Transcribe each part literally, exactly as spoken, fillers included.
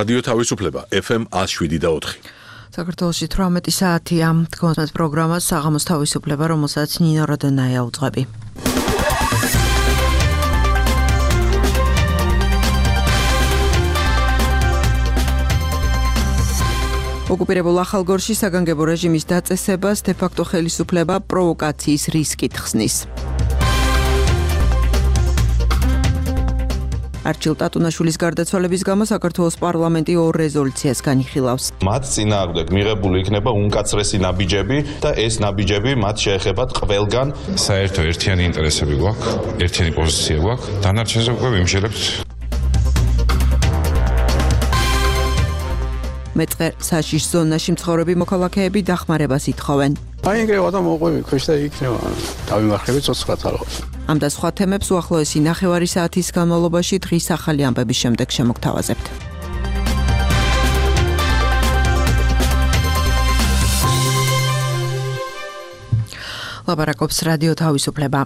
რადიო თავისუფლება ეფ ემ one oh seven და four. საქართველოში eighteen საათია თქვენს პროგრამას საღამოს თავისუფლება, რომელსაც ნინო როდონაია უძღვები. ოკუპირებულ ახალგორში საგანგებო რეჟიმის დაწესებას დე-ფაქტო ხელისუფლება პროვოკაციის რისკით ხსნის. არჩილ ტატუნაშვილის გარდაცვალების გამო საქართველოს პარლამენტი ორ რეზოლუციას განიხილავს. მათ წინააღმდეგ მიღებული იქნება უმკაცრესი ნაბიჯები და ეს ნაბიჯები მათ შეეხებათ ყველგან. საერთო ერთიანი ინტერესები გვაქვს, ერთიანი პოზიცია გვაქვს, დანარჩენზე უკვე ვიმშელებთ. მეწყერ საშიშ ზონაში მცხოვრები მოქალაქეები დახმარებას ითხოვენ. აიგევა და მოყვები ქვეშ და იქნება დავიმარხები ცოცხლად ალბათ. ამ და სხვა თემებს უახლოესი ნახევარი საათის განმავლობაში დღის ახალი ამბების შემდეგ შემოგთავაზებთ. ლაპარაკობს რადიო თავისუფლება.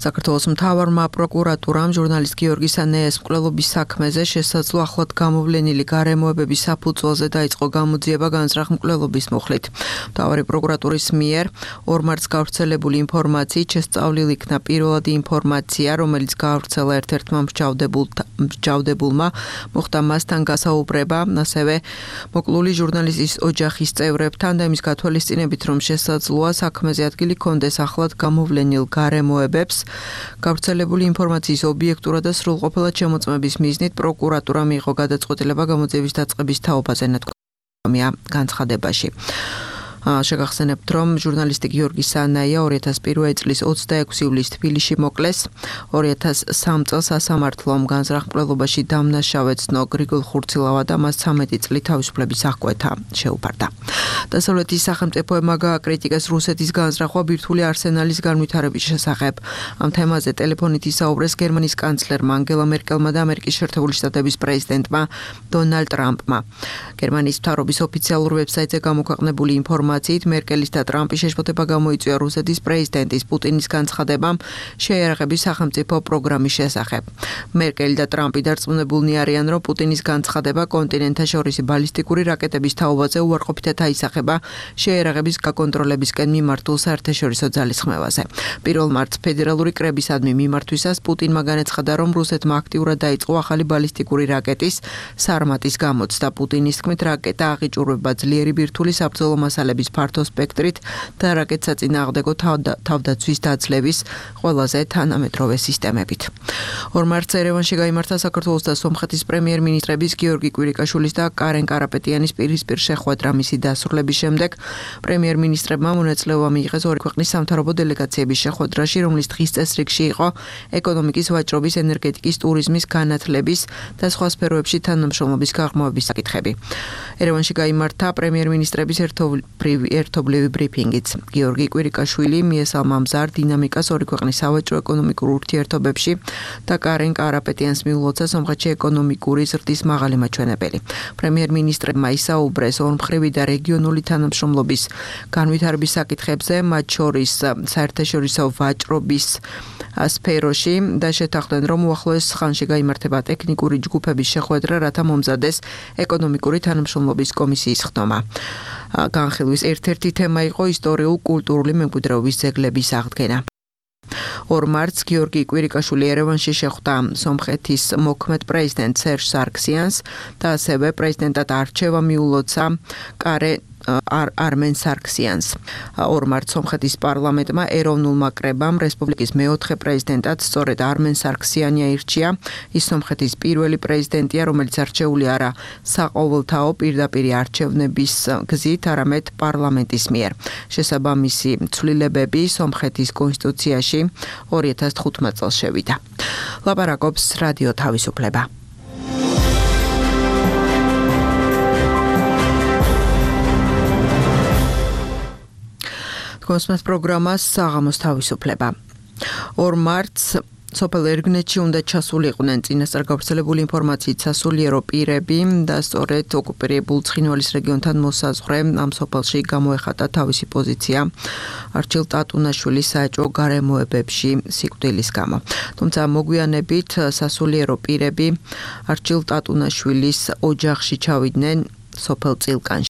საქართველოს მთავარმა პროკურატურამ ჟურნალისტ გიორგი სანეეს მკვლელობის საქმეზე შესაძლო ახლად გამოვლენილი გარემოებების საფუძველზე დაიწყო გამოძიება განზრახ მკვლელობის მუხლით. მთავარი პროკურატურის მიერ ორ მარტს გავრცელებული ინფორმაციით შესწავლილი იქნა პირველადი ინფორმაცია, რომელიც გავრცელა ერთ-ერთმა მსჯავრდებულმა, მოხდა მასთან გასაუბრება, ასევე მოკლული ჟურნალისტის ოჯახის წევრებთან და იმის გათვალისწინებით, რომ შესაძლოა საქმეზე ადგილი ჰქონდეს ახლად გამოვლენილ გარემოებებს, გავრცელებული ინფორმაციის ობიექტურად და სრულყოფილად შემოწმების მიზნით პროკურატურა მიიღო გადაწყვეტილება გამოძიების დაწყების თაობაზე ნათქვამია განცხადებაში. შეგახსენებთ, რომ ჟურნალისტი გიორგი სანაია ორი ათას პირველი წლის ოცდაექვსი ივლისს თბილისში მოკლეს. ორი ათას სამი წელს სასამართლომ განზრახ მკვლელობაში დამნაშავე ცნო გრიგოლ ხურცილავა და მას ცამეტი წლით თავისუფლების აღკვეთა შეუფარდა. დასავლეთის სახელმწიფოებმა გააკრიტიკეს რუსეთის განზრახვა ბირთვული არსენალის განვითარების შესახებ. ამ თემაზე ტელეფონით ისაუბრეს გერმანიის კანცლერმა ანგელა მერკელმა და ამერიკის შეერთებული შტატების პრეზიდენტმა დონალდ ტრამპმა. გერმანიის მთავრობის ოფიციალურ ვებსაიტზე გამოქვეყნებული ინფორმაციით მერკელის და ტრამპის შეშფოთება გამოიწვია რუსეთის პრეზიდენტის პუტინის განცხადებამ შეიარაღების სახელმწიფო პროგრამის შესახებ. მერკელი და ტრამპი დარწმუნებულნი არიან, რომ პუტინის განცხადება კონტინენტთაშორისი ბალისტიკური რაკეტების თაობაზე უარყოფითად აისახება შეიარაღების გაკონტროლებისკენ მიმართულ საერთაშორისო ძალისხმევაზე. პირველ მარტს ფედერალური კრებისადმი მიმართვისას პუტინმა განაცხადა, რომ რუსეთმა აქტიურად დაიწყო ახალი ბალისტიკური რაკეტის სარმატის გამოცდა. პუტინის თქმით, რაკეტა აღიჭურვება ძლიერი ბირთვული საბრძოლო მასალების ფართო სპექტრით და რაკეტსაწინააღმდეგო თავდაცვის დაძლევის ყველაზე თანამედროვე სისტემებით. ორ მარტს ერევანში გაიმართა საქართველოს და სომხეთის პრემიერ-მინისტრების გიორგი კვირიკაშვილის და კარენ კარაპეტიანის პირისპირ შეხვედრა. მისი დასრულების შემდეგ პრემიერ-მინისტრებმა მონაწილეობა მიიღეს ორი ქვეყნის სამთავრობო დელეგაციების შეხვედრაში, რომლის დღის წესრიგში იყო ეკონომიკის, ვაჭრობის, ენერგეტიკის, ტურიზმის, განათლების და სხვა სფეროებში თანამშრომლობის გაღრმავების საკითხები. ერევანში გაიმართა პრემიერ-მინისტრების ერთობლივი ბრიფინგიც. გიორგი კვირიკაშვილი მიესალმა მზარ დინამიკას ორი ქვეყნის სავაჭრო ეკონომიკურ ურთიერთობებში და კარენ კარაპეტიანს მიულოცა სომხეთში ეკონომიკური ზრდის მაღალი მაჩვენებელი. პრემიერ-მინისტრებმა ისაუბრეს ორმხრივი და რეგიონული თანამშრომლობის განვითარების საკითხებზე, მათ შორის საერთაშორისო ვაჭრობის სფეროში და შეთანხმდნენ, რომ უახლოეს ხანში გაიმართება ტექნიკური ჯგუფების შეხვედრა, რათა მომზადეს ეკონომიკური თანამშრომლობის კომისიის ხდომა. განხილვის ერთ-ერთი თემა იყო ისტორიულ-კულტურული მემკვიდრეობის ძეგლების აღდგენა. ორ მარტს გიორგი კვირიკაშვილი ერევანში შეხვდა სომხეთის მოქმედ პრეზიდენტ სერჟ სარქსიანს და ასევე პრეზიდენტად არჩევა მიულოცა კარე არმენ სარქსიანს. ორ მარტს სომხეთის პარლამენტმა ეროვნულმა კრებამ რესპუბლიკის მეოთხე პრეზიდენტად სწორედ არმენ სარქსიანი აირჩია. ის სომხეთის პირველი პრეზიდენტია, რომელიც არჩეული არა საყოველთაო პირდაპირი არჩევნების გზით, არამედ პარლამენტის მიერ. შესაბამისი ცვლილებები სომხეთის კონსტიტუციაში ორი ათას თხუთმეტ წელს შევიდა. ლაპარაკობს რადიო თავისუფლება. თქვენს პროგრამას საღამოს თავისუფლება. ორ მარტს სოფელ ერგნეთში უნდა ჩასულიყვნენ წინასწარ გავრცელებული ინფორმაციით სასულიერო პირები და სწორედ ოკუპირებულ ცხინვალის რეგიონთან მოსაზღვრე ამ სოფელში გამოეხატა თავისი პოზიცია არჩილ ტატუნაშვილის საეჭვო გარემოებებში სიკვდილის გამო. თუმცა მოგვიანებით სასულიერო პირები არჩილ ტატუნაშვილის ოჯახში ჩავიდნენ სოფელ წილკანში.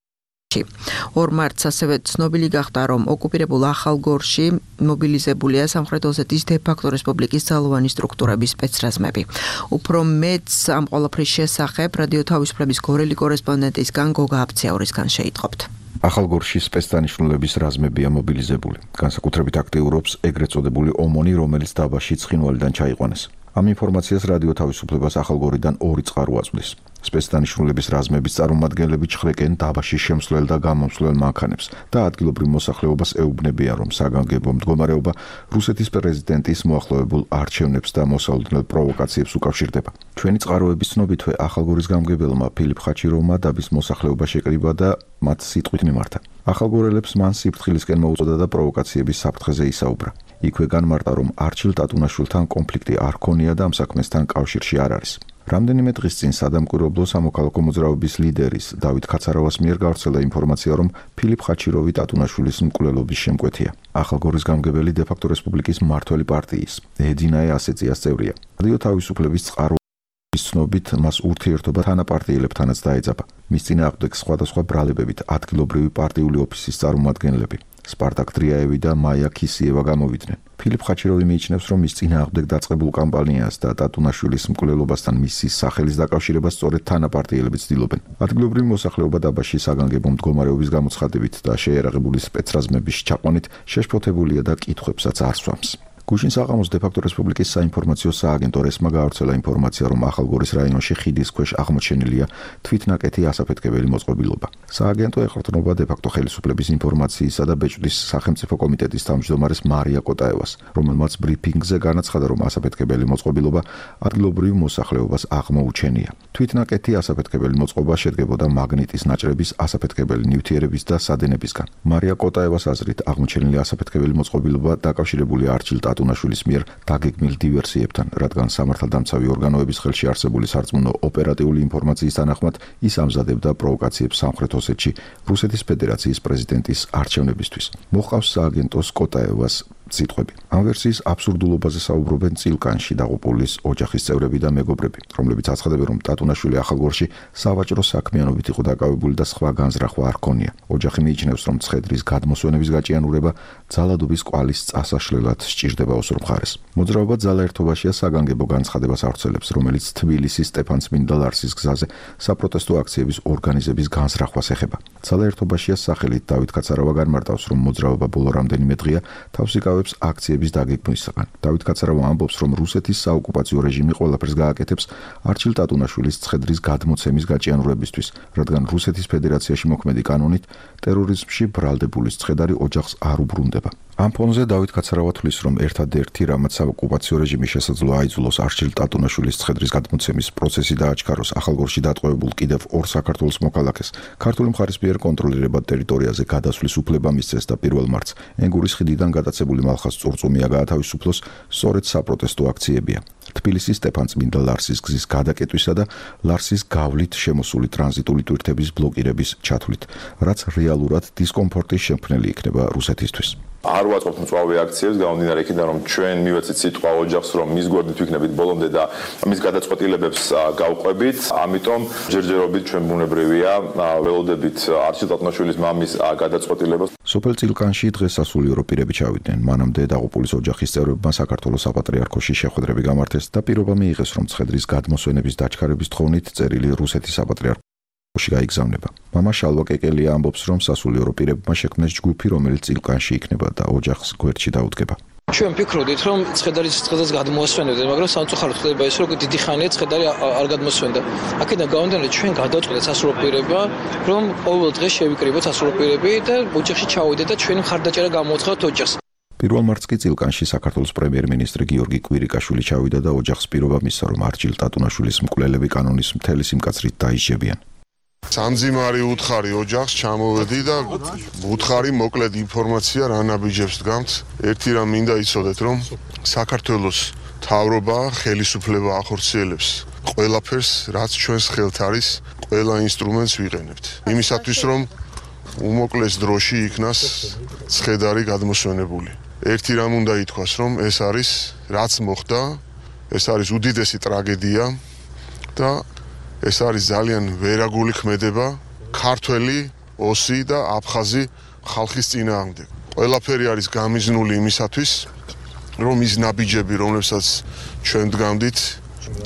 ორ მარტს ასევე ცნობილი გახდა, რომ ოკუპირებულ ახალგორში მობილიზებულია სამხრეთ ოსეთის დე-ფაქტო რესპუბლიკის ძალოვანი სტრუქტურების სპეცრაზმები. უფრო მეტს ამ ყველაფრის შესახებ რადიო თავისუფლების გორელი კორესპონდენტისგან გოგა აბციაურისგან შეიტყობთ. ახალგორში სპეცდანიშნულების რაზმებია მობილიზებული. განსაკუთრებით აქტიურობს ეგრეთ წოდებული ომონი, რომელიც დაბაში ცხინვალიდან ჩაიყვანეს. ამ ინფორმაციას რადიო თავისუფლებას ახალგორიდან ორი წყარო აწვდის. სპეცდანიშნულების რაზმების წარმომადგენლები ჩხრეკენ დაბაში შემსვლელ და გამომსვლელ მანქანებს და ადგილობრივ მოსახლეობას ეუბნებიან, რომ საგანგებო მდგომარეობა რუსეთის პრეზიდენტის მოახლოებულ არჩევნებს და მოსალოდნელ პროვოკაციებს უკავშირდება. ჩვენი წყაროების ცნობითვე ახალგორის გამგებელმა ფილიპ ხაჩიროვმა დაბის მოსახლეობა შეკრიბა და მათ სიტყვით მიმართა. ახალგორელებს მან სიფრთხილისკენ მოუწოდა და პროვოკაციების საფრთხეზე ისაუბრა. იქვე განმარტა, რომ არჩილ ტატუნაშვილთან კონფლიქტი არ ქონია და ამ საქმესთან კავშირში არ არის. რამდენიმე დღის წინ სადამკვირვებლო სამოქალაქო მოძრაობის ლიდერის დავით ქაცარავას მიერ გავრცელდა ინფორმაცია, რომ ფილიპ ხაჩიროვი ტატუნაშვილის მკვლელობის შემკვეთია. ახალგორის გამგებელი დე-ფაქტო რესპუბლიკის მმართველი პარტიის ედინაე ასეწიას წევრია. რადიო თავისუფლების წყაროების ცნობით მას ურთიერთობა თანაპარტიელებთანაც დაეძაბა. მის წინააღმდეგ სხვადასხვა ბრალებებით ადგილობრივი პარტიული ოფისის წარმომადგენლები სპარტაკ დრიაევი და მაია ქისიევა გამოვიდნენ. ფილიპ ხაჩიროვი მიიჩნევს, რომ მის წინააღმდეგ დაწყებულ კამპანიას და ტატუნაშვილის მკვლელობასთან მისის სახელის დაკავშირებას სწორედ თანაპარტიელები ცდილობენ. ადგილობრივი მოსახლეობა დაბაში საგანგებო მდგომარეობის გამოცხადებით და შეიარაღებული სპეცრაზმების ჩაყვანით შეშფოთებულია და კითხვებსაც არ სვამს. გუშინ საღამოს დე-ფაქტო რესპუბლიკის საინფორმაციო სააგენტო რესმა გაავრცელა ინფორმაცია, რომ ახალგორის რაიონში ხიდის ქვეშ აღმოჩენილია თვითნაკეთი ასაფეთქებელი მოწყობილობა. სააგენტო ეყრდნობა დე-ფაქტო ხელისუფლების ინფორმაციისა და ბეჭდის სახელმწიფო კომიტეტის თავმჯდომარეს მარია კოტაევას, რომელმაც ბრიფინგზე განაცხადა, რომ ასაფეთქებელი მოწყობილობა ადგილობრივ მოსახლეობას აღმოუჩენია. თვითნაკეთი ასაფეთქებელი მოწყობა შედგებოდა მაგნიტის ნაჭრების, ასაფეთქებელი ნივთიერების და სადენებისგან. მარია კოტაევას აზრით, აღმოჩენილი ასაფეთქებელი მოწყობილობა დაკავშირებულია არჩილ ტატუნაშვილის მიერ დაგეგმილ დივერსიებთან, რადგან სამართალდამცავი ორგანოების ხელში არსებული სარწმუნო ოპერატიული ინფორმაციის თანახმად ის ამზადებდა პროვოკაციებს სამხრეთ ოსეთში რუსეთის ფედერაციის პრეზიდენტის არჩევნებისთვის. მოჰყავს სააგენტოს კოტაევას სიტყვები. ამ ვერსიის აბსურდულობაზე საუბრობენ წილკანში დაღუპულის ოჯახის წევრები და მეგობრები, რომლებიც აცხადებენ, რომ ტატუნაშვილი ახალგორში სავაჭრო საქმიანობით იყო დაკავებული და სხვა განზრახვა არ ქონია. ოჯახი მიიჩნევს, რომ ცხედრის გადმოსვენების გაჭიანურება ძალადობის კვალის წასაშლელად სჭირდება ოსურ მხარეს. მოძრაობა ძალაერთობაშია საგანგებო განცხადებას ავრცელებს, რომელიც თბილისის სტეფანწმინდა ლარსის გზაზე საპროტესტო აქციების ორგანიზების განზრახვას ეხება. ძალაერთობაშია სახელით დავით ქაცარავა განმარტავს, რომ მოძრაობა ბოლო რამდენიმე დღეა თავს იკავებს აქციების დაგეგმვისგან. დავით ქაცარავა ამბობს, რომ რუსეთის საოკუპაციო რეჟიმი ყველაფერს გააკეთებს არჩილ ტატუნაშვილის ცხედრის გადმოცემის გაჭიანურებისთვის, რადგან რუსეთის ფედერაციაში მოქმედი კანონით ტერორიზმში ბრალდებულის ცხედარი ოჯახს არ უბრუნდება. ამ ფონზე დავით ქაცარავა თვლის, რომ ერთადერთი რამაც საოკუპაციო რეჟიმის შესაძლოა აიძულოს არჩილ ტატუნაშვილის ცხედრის გადმოცემის პროცესი დააჩქაროს ახალგორში დატყვევებულ კიდევ ორ საქართველოს მოქალაქეს ქართული მხარის მიერ კონტროლირებად ტერიტორიაზე გადასვლის უფლება მისცეს და პირველ მარტს ენგურის ხიდიდან გადაცებული მალხას წურწუმია გაათავისუფლოს სწორედ საპროტესტო აქციებია. თბილისის სტეფანწმინდა ლარსის გზის გადაკეტვისა და ლარსის გავლით შემოსული ტრანზიტული ტვირთების ბლოკირების ჩათვლით, რაც რეალურად დისკომფორტის შემქმნელი იქნება რუსეთისთვის. არ ვაწყობთ მწვავე აქციებს გამომდინარე იქიდან, რომ ჩვენ მივეცით სიტყვა ოჯახს, რომ მის გვერდით ვიქნებით ბოლომდე და მის გადაწყვეტილებებს გავყვებით. ამიტომ ჯერჯერობით ჩვენ ბუნებრივია ველოდებით არჩილ ტატუნაშვილის მამის გადაწყვეტილებას. სოფელ წილკანში დღეს სასულიერო პირები ჩავიდნენ. მანამდე დაღუპულის ოჯახის წევრებმა საქართველოს საპატრიარქოში შეხვედრები გამართეს და პირობა მიიღეს, რომ ცხედრის გადმოსვენების დაჩქარების თხოვნით წერილი რუსეთის საპატრიარქოში გაიგზავნება. მამა შალვა კეკელია ამბობს, რომ სასულიერო პირებმა შექმნეს ჯგუფი, რომელიც წილკანში იქნება და ოჯახს გვერდში დაუდგება. ჩვენ ვფიქრობდით, რომ ცხედარის ცხედას გადმოასვენებდნენ, მაგრამ სამწუხაროდ ხდება ის, რომ დიდი ხანია ცხედარი არ გადმოსვენდა. აქედან გამომდინარე, ჩვენ გადავწყვეტეთ სასულიერო პირებმა, რომ ყოველ დღე შევიკრიბოთ სასულიერო პირები და ოჯახში ჩავიდეთ და ჩვენი მხარდაჭერა გამოუცხადოთ ოჯახს. პირველ მარტს კი წილკანში საქართველოს პრემიერ-მინისტრი გიორგი კვირიკაშვილი ჩავიდა და ოჯახს პირობა მისცა, რომ არჩილ ტატუნაშვილის მკვლელები კანონის მთელი სიმკაცრით დაისჯებიან. სამძიმარი უთხარი ოჯახს ჩამოვედი და უთხარი მოკლედ ინფორმაცია რა ნაბიჯებს დგამთ. ერთი რამ მინდა იცოდეთ, რომ საქართველოს მთავრობა ხელისუფლება ახორციელებს ყველაფერს, რაც ჩვენს ხელთ არის, ყველა ინსტრუმენტს ვიყენებთ. იმისათვის, რომ უმოკლეს დროში იქნას ცხედარი გადმოსვენებული. ერთი რამ უნდა ითქვას, რომ ეს არის რაც მოხდა, ეს არის უდიდესი ტრაგედია და ეს არის ძალიან ვერაგული ქმედება ქართველი, ოსი და აფხაზი ხალხის წინააღმდეგ. ყველაფერი არის გამიზნული იმისათვის, რომ ის ნაბიჯები, რომლებსაც ჩვენ დგამდით,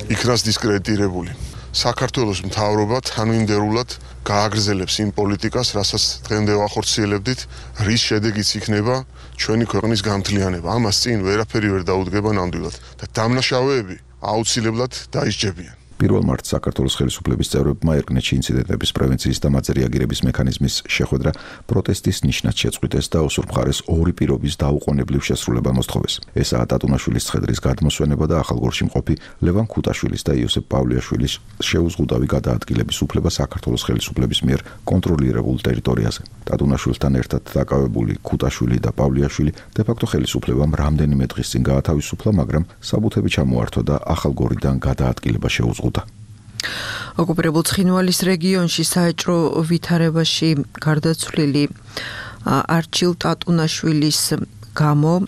იქნას დისკრედიტირებული. საქართველოს მთავრობა თანმიმდევრულად გააგრძელებს იმ პოლიტიკას, რასაც დღემდე ვახორციელებდით, რის შედეგიც იქნება ჩვენი ქვეყნის გამთლიანება. ამას წინ ვერაფერი ვერ დაუდგება ნამდვილად და დამნაშავეები აუცილებლად დაისჯებიან. პირველ მარტს საქართველოს ხელისუფლების წევრებმა ერკნეთში ინციდენტების პრევენციის და მათზე რეაგირების მექანიზმის შეხვედრა პროტესტის ნიშნად შეწყვიტეს და ოსურ მხარეს ორი პირობის დაუყოვნებლივ შესრულება მოსთხოვეს. ესაა ტატუნაშვილის ცხედრის გადმოსვენება და ახალგორში მყოფი ლევან ქუტაშვილის და იოსებ პავლიაშვილის შეუზღუდავი გადაადგილების უფლება საქართველოს ხელისუფლების მიერ კონტროლირებულ ტერიტორიაზე. ტატუნაშვილთან ერთად დაკავებული ქუტაშვილი და პავლიაშვილი დე-ფაქტო ხელისუფლებამ რამდენიმე დღის წინ გაათავისუფლა, მაგრამ საბუთები ჩამოართვა და ახალგორიდან გადაადგილება შეუზღუდა. ოკუპირებულ ცხინვალის რეგიონში საეჭვო ვითარებაში გარდაცვლილი არჩილ ტატუნაშვილის გამო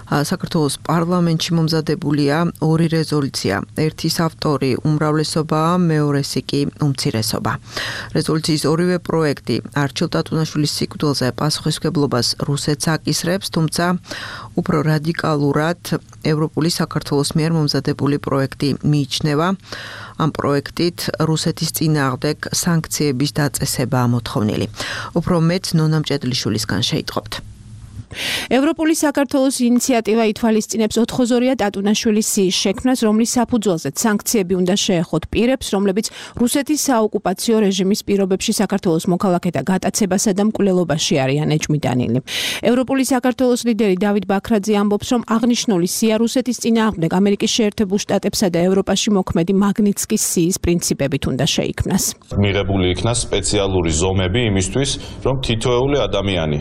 საქართველოს პარლამენტში მომზადებულია ორი რეზოლუცია. ერთის ავტორი უმრავლესობაა, მეორესი კი უმცირესობა. რეზოლუციის ორივე პროექტი არჩილ ტატუნაშვილის სიკვდილზე პასუხისმგებლობას რუსეთს აკისრებს, თუმცა უფრო რადიკალურად ევროპული საქართველოს მიერ მომზადებული პროექტი მიიჩნევა. ამ პროექტით რუსეთის წინააღმდეგ სანქციების დაწესებაა მოთხოვნილი. უფრო მეტ ნონა მჭედლიშვილისგან შეიტყობთ. ევროპული საქართველოს ინიციატივა ითვალისწინებს ოთხოზორია ტატუნაშვილის სიის შექმნას, რომლის საფუძველზეც სანქციები უნდა შეეხოთ პირებს, რომლებიც რუსეთის საოკუპაციო რეჟიმის პირობებში საქართველოს მოქალაქეთა გატაცებასა და მკვლელობაში არიან ეჭვმიტანილი. ევროპული საქართველოს ლიდერი დავით ბაქრაძე ამბობს, რომ აღნიშნული სია რუსეთის წინააღმდეგ ამერიკის შეერთებულ შტატებსა და ევროპაში მოქმედი მაგნიტსკის სიის პრინციპებით უნდა შეიქმნას. მიღებული იქნა სპეციალური ზომები იმისთვის, რომ თითოეული ადამიანი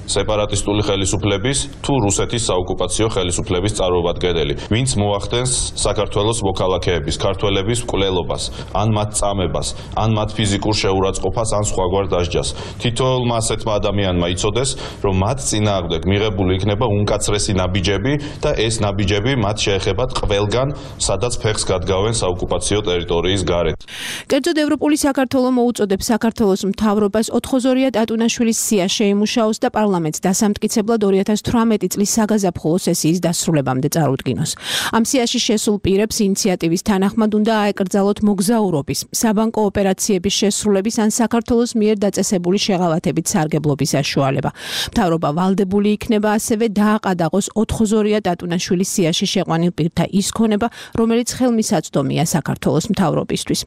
სეპარატისტული ხელისუფლების თუ რუსეთის საოკუპაციო ხელისუფლების წარმომადგენელი, ვინც მოახდენს საქართველოს მოქალაქეების, ქართველების მკვლელობას, ან მათ წამებას, ან მათ ფიზიკურ შეურაცხყოფას, ან სხვაგვარ დასჯას. თითოეულმა ასეთმა ადამიანმა იცოდეს, რომ მათ წინააღმდეგ მიღებული იქნება უმკაცრესი ნაბიჯები და ეს ნაბიჯები მათ შეეხებათ ყველგან, სადაც ფეხს გადგავენ საოკუპაციო ტერიტორიის გარეთ. კერძოდ ევროპული საქართველო მოუწოდებს საქართველოს მთავრობას ოთხოზორია ტატუნაშვილის სია შეიმუშაოს და პარლამენტს დასამტკიცებლად ორი ათას თვრამეტი წლის საგაზაფხულო სესიის დასრულებამდე წარუდგინოს. ამ სიაში შესულ პირებს ინიციატივის თანახმად უნდა აეკრძალოთ მოგზაურობის, საბანკო ოპერაციების შესრულების ან საქართველოს მიერ დაწესებული შეღავათებით სარგებლობის საშუალება. მთავრობა ვალდებული იქნება ასევე დააყადაღოს ოთხოზორია ტატუნაშვილის სიაში შეყვანილ პირთა ის ქონება, რომელიც ხელმისაწვდომია საქართველოს მთავრობისთვის.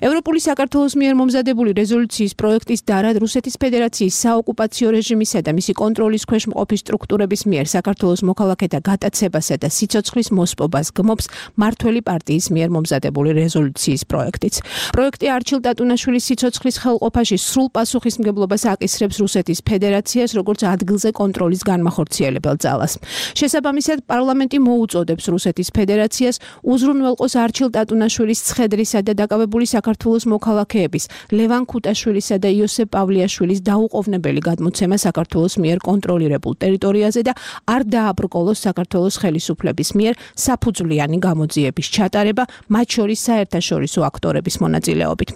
ევროპული საქართველოს მიერ მომზადებული რეზოლუციის პროექტის დარად რუსეთის ფედერაციის საოკუპაციო რეჟიმისა და მისი კონტროლის ქვეშ მყოფი სტრუქტურების მიერ საქართველოს მოქალაქეთა გატაცებასა და სიცოცხლის მოსპობას გმობს მართველი პარტიის მიერ მომზადებული რეზოლუციის პროექტიც. პროექტი არჩილ ტატუნაშვილის სიცოცხლის ხელყოფაში სრულ პასუხისმგებლობას აკისრებს რუსეთის ფედერაციას, როგორც ადგილზე კონტროლის განმახორციელებელ ძალას. შესაბამისად, პარლამენტი მოუწოდებს რუსეთის ფედერაციას უზრუნველყოს არჩილ ტატუნაშვილის ცხედრისა და დაკავებული საქართველოს მოქალაქეების, ლევან ქუტაშვილისა და იოსებ პავლიაშვილის დაუყოვნებელი გადმოცემა საქართველოს მიერ კონტროლირებულ ტერიტორიაზე და არ დააბრკოლოს საქართველოს ხელისუფლების მიერ საფუძვლიანი გამოძიების ჩატარება, მათ შორის საერთაშორისო აქტორების მონაწილეობით.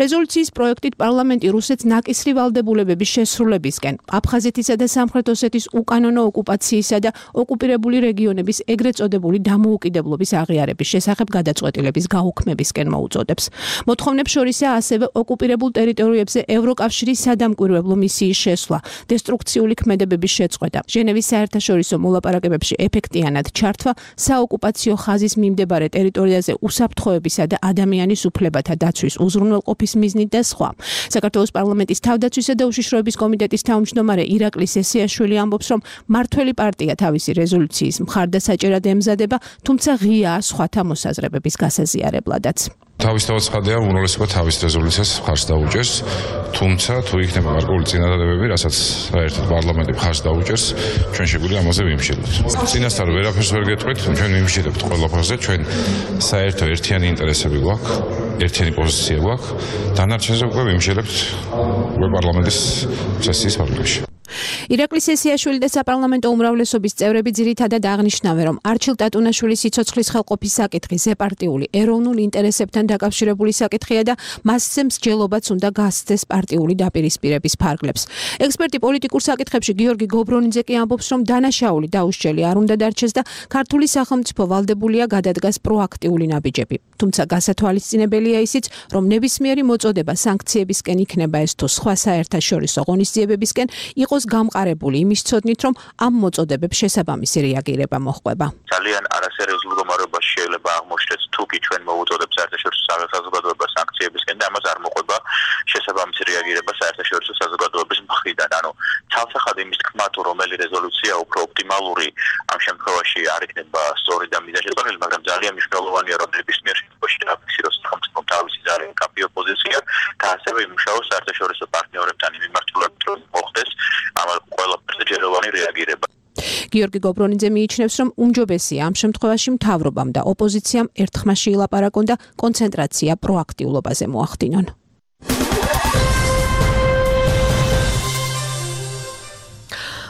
რეზოლუციის პროექტით პარლამენტი რუსეთს ნაკისრი ვალდებულებების შესრულებისკენ, აფხაზეთისა და სამხრეთ ოსეთის უკანონო ოკუპაციისა და ოკუპირებული რეგიონების ეგრეთ წოდებული დამოუკიდებლობის აღიარების შესახებ გადაწყვეტილების გაუქმებისკენ მოუწოდებს. მოთხოვნებს შორისაა ასევე ოკუპირებულ ტერიტორიებზე ევროკავშირის სადამკვირვებლო მისიის შესვლა, დესტრუქციული ქმედებების შეწყვეტა, ჟენევის საერთაშორისო მოლაპარაკებებში ეფექტიანად ჩართვა, საოკუპაციო ხაზის მიმდებარე ტერიტორიაზე უსაფრთხოებისა და ადამიანის უფლებათა დაცვის უზრუნველყოფის მიზნით და სხვა. საქართველოს პარლამენტის თავდაცვისა და უშიშროების კომიტეტის თავმჯდომარე ირაკლი სესიაშვილი ამბობს, რომ მართველი პარტია თავისი რეზოლუციის მხარდასაჭერად ემზადება, თუმცა ღიაა სხვათა მოსაზრებების გასაზიარებლადაც. თავისთავად ცხადია, უმრავლესობა თავის რეზოლუციას მხარს დაუჭერს, თუმცა თუ იქნება გარკვეული წინადადებები, რასაც საერთოდ პარლამენტი მხარს დაუჭერს, ჩვენ შეგვიძლია ამაზე ვიმშილოთ. წინასწარ ვერაფერს ვერ გეტყვით, ჩვენ ვიმშილებთ ყველაფერზე, ჩვენ საერთო ერთიანი ინტერესები გვაქვს, ერთიანი პოზიცია გვაქვს, დანარჩენზე უკვე ვიმშილებთ უკვე პარლამენტის სესიის პარლამენტში. ირაკლი სესიაშვილი და საპარლამენტო უმრავლესობის წევრები ძირითადად აღნიშნავენ, რომ არჩილ ტატუნაშვილის სიცოცხლის ხელყოფის საკითხი ზეპარტიული ეროვნულ ინტერესებთან დაკავშირებული საკითხია და მასზე მსჯელობაც უნდა გასცეს პარტიული დაპირისპირების ფარგლებს. ექსპერტი პოლიტიკურ საკითხებში გიორგი გობრონიძე კი ამბობს, რომ დანაშაული დაუსჯელი არ უნდა დარჩეს და ქართული სახელმწიფო ვალდებულია გადადგას პროაქტიული ნაბიჯები. თუმცა გასათვალისწინებელია ისიც, რომ ნებისმიერი მოწოდება სანქციებისკენ იქნება ეს თუ სხვა საერთაშორისო ღონისძიებებისკენ იყოს გამყარებული იმის ცოდნით, რომ ამ მოწოდებებს შესაბამისი რეაგირება მოჰყვება. ძალიან არასერიოზულ მდგომარეობაში შეიძლება აღმოჩნდეს თუ კი ჩვენ მოვუწოდებს საერთაშორისო საზოგადოებას სანქციებისკენ და ამას არ მოყვება შესაბამისი რეაგირება საერთაშორისო საზოგადოების მხრიდან. ანუ ცალსახად იმის თქმა თუ რომელი რეზოლუცია უფრო ოპტიმალური ამ შემთხვევაში არ იქნება სწორი და მიზანშეწონილი, მაგრამ ძალიან მნიშვნელოვანია რომ ნებისმიერ შემთხვევაში დააფიქსიროს სახელმწიფომ თავისი ძალიან კაფეო პოზიცია და ასევე იმუშაოს საერთაშორისო პარტნიორებთან იმ მიმართულად რომ მოხდეს ამ ყველაფერზე ჯეროვანი რეაგირება. გიორგი გობრონიძე მიიჩნევს, რომ უმჯობესია ამ შემთხვევაში მთავრობამ და ოპოზიციამ ერთხმაში ილაპარაკონ და კონცენტრაცია პროაქტიულობაზე მოახდინონ.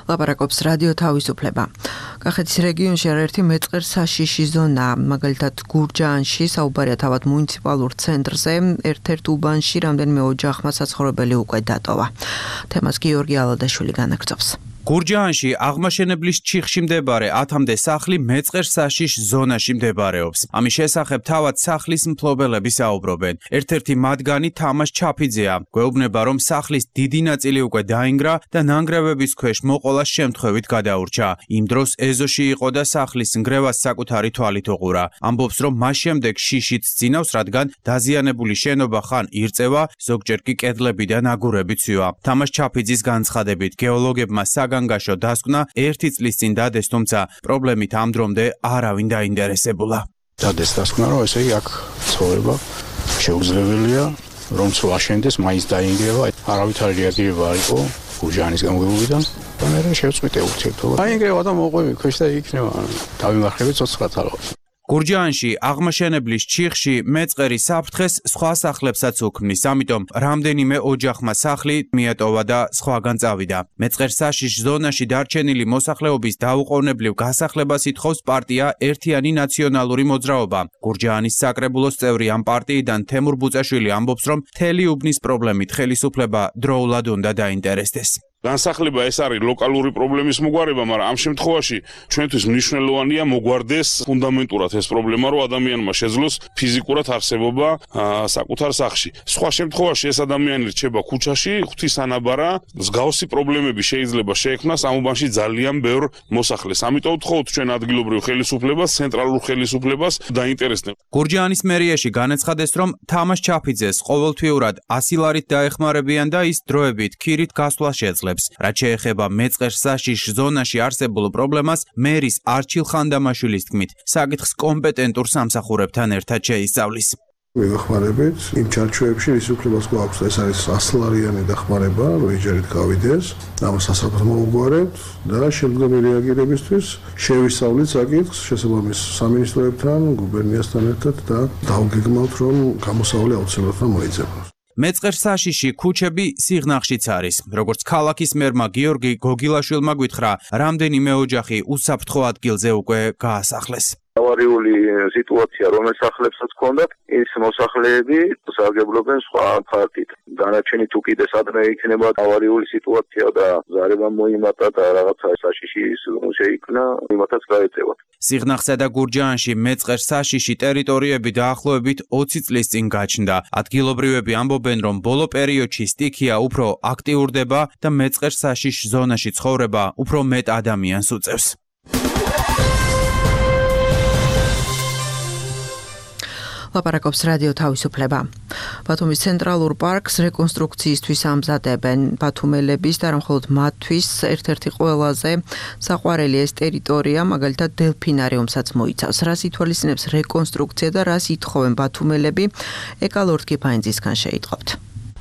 ლაპარაკობს რადიო თავისუფლება. კახეთის რეგიონში არაერთი მეწყერ საშიში ზონა, მაგალითად გურჯაანში, საუბარია თავად მუნიციპალურ ცენტრზე, ერთ-ერთ უბანში რამდენიმე ოჯახმა საცხოვრებელი უკვე დატოვა. თემას გიორგი ალადაშვილი განაგრძობს. გურჯაანში აღმაშენებლის ჩიხში მდებარე ათამდე სახლი მეწყერ საშიშ ზონაში მდებარეობს. ამის შესახებ თავად სახლის მფლობელები საუბრობენ. ერთ-ერთი მათგანი თამაშ ჩაფიძეა. გვეუბნება, რომ სახლის დიდი ნაწილი უკვე დაინგრა და ნანგრევების ქვეშ მოყოლას შემთხვევით გადაურჩა. იმ დროს ეზოში იყო და სახლის ნგრევას საკუთარი თვალით უყურა. ამბობს, რომ მას შემდეგ შიშით სძინავს, რადგან დაზიანებული შენობა ხან ირწევა, ზოგჯერ კი კედლები და ნაგურები ცვივა. თამაშ ჩაფიძის განცხადებით, გეოლოგებმა საგანგაშო დასკვნა ერთი წლის წინ დადეს, თუმცა პრობლემით ამ დრომდე არავინ დაინტერესებულა. დადეს დასკვნა, რომ ესე იგი აქ ცხოვრება შეუძლებელია, რომ თუ აშენდეს, მაინც დაინგრევა, არავითარი რეაგირება არ იყო გურჯაანის გამგებლობიდან. და მე შევწყვიტე ურთიერთობა. დაინგრევა და მოყვები ქვეშ და იქნება დავიმარხები ცოცხლად ალბათ. გურჯაანში აღმაშენებლის ჩიხში მეწყერი საფრთხეს სხვა სახლებსაც უქმნის, ამიტომ რამდენიმე ოჯახმა სახლი მიატოვა და სხვაგან წავიდა. მეწყერ საშიშ ზონაში დარჩენილი მოსახლეობის დაუყოვნებლივ გასახლებას ითხოვს პარტია ერთიანი ნაციონალური მოძრაობა. გურჯაანის საკრებულოს წევრი ამ პარტიიდან თემურ ბუწაშვილი ამბობს, რომ მთელი უბნის პრობლემით ხელისუფლება დროულად უნდა დაინტერესდეს. განსახლება ეს არის ლოკალური პრობლემის მოგვარება, მაგრამ ამ შემთხვევაში ჩვენთვის მნიშვნელოვანია მოგვარდეს ფუნდამენტურად ეს პრობლემა, რომ ადამიანმა შეძლოს ფიზიკურად არსებობა საკუთარ სახლში. სხვა შემთხვევაში ეს ადამიანი რჩება ქუჩაში, ღვთისანაბარა, მსგავსი პრობლემები შეიძლება შეექმნას ამ უბანში ძალიან ბევრ მოსახლეს. ამიტომ ვთხოვთ ჩვენ ადგილობრივ ხელისუფლებას, ცენტრალურ ხელისუფლებას დაინტერესდნენ. გურჯაანის მერიაში განაცხადეს, რომ თამაშ ჩაფიძეს ყოველთვიურად ასი ლარით დაეხმარებიან და ის დროებით ქირით გასვლა შეძლებს. რაც შეეხება მეწყერ საშიშ ზონაში არსებულ პრობლემას, მერის არჩილ ხანდამაშვილის თქმით, საკითხს კომპეტენტურ სამსახურებთან ერთად შეისწავლის. ვეხმარებით იმ ჩარჩოებში, რის უფლებას გვაქვს, ეს არის ასლარიანი დახმარება, რომ ეჯერით გავიდეს, ამას სასწრაფოდ მოვუგვარებთ და შემდგომი რეაგირებისთვის შევისწავლით საკითხს შესაბამის სამინისტროებთან, გუბერნიასთან ერთად და დავგეგმავთ, რომ გამოსავალი აუცილებლად მოიძებნოს. მეწყერ საშიში ქუჩები სიღნაღშიც არის. როგორც ქალაქის მერმა გიორგი გოგილაშვილმა გვითხრა, რამდენიმე ოჯახი უსაფრთხო ადგილზე უკვე გაასახლეს. ავარიული სიტუაცია, რომელიც სახლებსაც ჰქონდათ, ის მოსახლეები სარგებლობენ სხვა ფაქტით. დანარჩენი თუ კიდე სადმე იქნება ავარიული სიტუაცია და ზარება მოიმატა და რაღაცა საშიში შეიქმნა, იმათაც გაეწევათ. სიღნაღსა და გურჯაანში მეწყერ საშიში ტერიტორიები დაახლოებით ოცი წლის წინ გაჩნდა. ადგილობრივები ამბობენ, რომ ბოლო პერიოდში სტიქია უფრო აქტიურდება და მეწყერ საშიშ ზონაში ცხოვრება უფრო მეტ ადამიანს უწევს. ლაპარაკობს რადიო თავისუფლება. ბათუმის ცენტრალურ პარკს რეკონსტრუქციისთვის ამზადებენ. ბათუმელების და მხოლოდ მათთვის ერთ-ერთი ყველაზე საყვარელი ეს ტერიტორია, მაგალითად დელფინარიუმსაც მოიცავს. რას ითვალისწინებს რეკონსტრუქცია და რას ითხოვენ ბათუმელები? ეკალორდ კიფაინძისგან შეიტყობთ.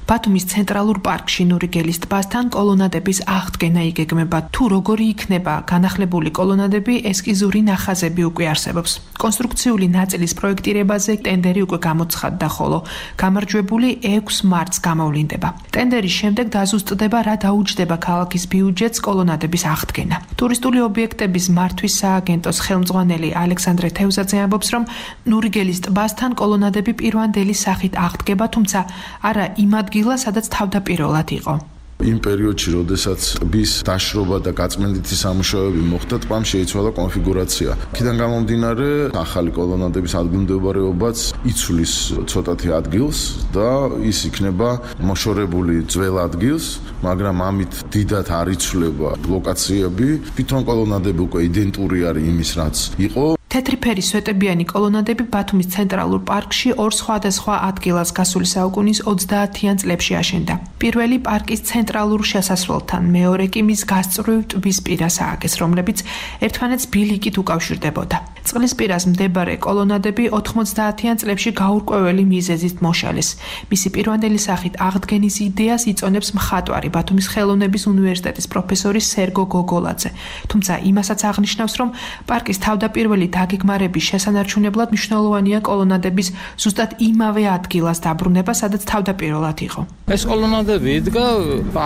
ბათუმის ცენტრალურ პარკში ნურიგელის ტბასთან კოლონადების აღდგენა იგეგმება. თუ როგორი იქნება განახლებული კოლონადები, ესკიზური ნახაზები უკვე არსებობს. კონსტრუქციული ნაწილის პროექტირებაზე ტენდერი უკვე გამოცხადდა, ხოლო გამარჯვებული ექვს მარტს გამოვლინდება. ტენდერის შემდეგ დაზუსტდება, რა დაუჯდება ქალაქის ბიუჯეტს კოლონადების აღდგენა. ტურისტული ობიექტების მართვის სააგენტოს ხელმძღვანელი ალექსანდრე თევზაძე ამბობს, რომ ნურიგელის ტბასთან კოლონადები პირვანდელი სახით აღდგება, თუმცა არა იმ ადგილას, სადაც თავდაპირველად იყო. იმ პერიოდში, როდესაც ტბის დაშრობა და გაწმენდითი სამუშაოები მოხდა, ტბამ შეიცვალა კონფიგურაცია. აქედან გამომდინარე, ახალი კოლონადების ადგილმდებარეობაც იცვლის ცოტათი ადგილს და ის იქნება მოშორებული ძველ ადგილს, მაგრამ ამით დიდად არ იცვლება ლოკაციები. თვითონ კოლონადები უკვე იდენტური არის იმის, რაც იყო. თეთრი ფერის სვეტებიანი კოლონადები ბათუმის ცენტრალურ პარკში ორ სხვადასხვა ადგილას გასული საუკუნის ოცდაათიან წლებში აშენდა. პირველი პარკის ცენტრალურ შესასვლელთან, მეორე კი მის გასწვრივ ტბის პირას ააგეს, რომლებიც ერთმანეთს ბილიკით უკავშირდებოდა. წყლის პირას მდებარე კოლონადები ოთხმოცდაათიან წლებში გაურკვეველი მიზეზით მოშალეს. მისი პირვანდელი სახით აღდგენის იდეას იწონებს მხატვარი ბათუმის ხელოვნების უნივერსიტეტის პროფესორი სერგო გოგოლაძე. თუმცა იმასაც აღნიშნავს, რომ პარკის თავდაპირველი დაგეგმარების შესანარჩუნებლად მნიშვნელოვანია კოლონადების ზუსტად იმავე ადგილას დაბრუნება, სადაც თავდაპირველად იყო. ეს კოლონადები იდგა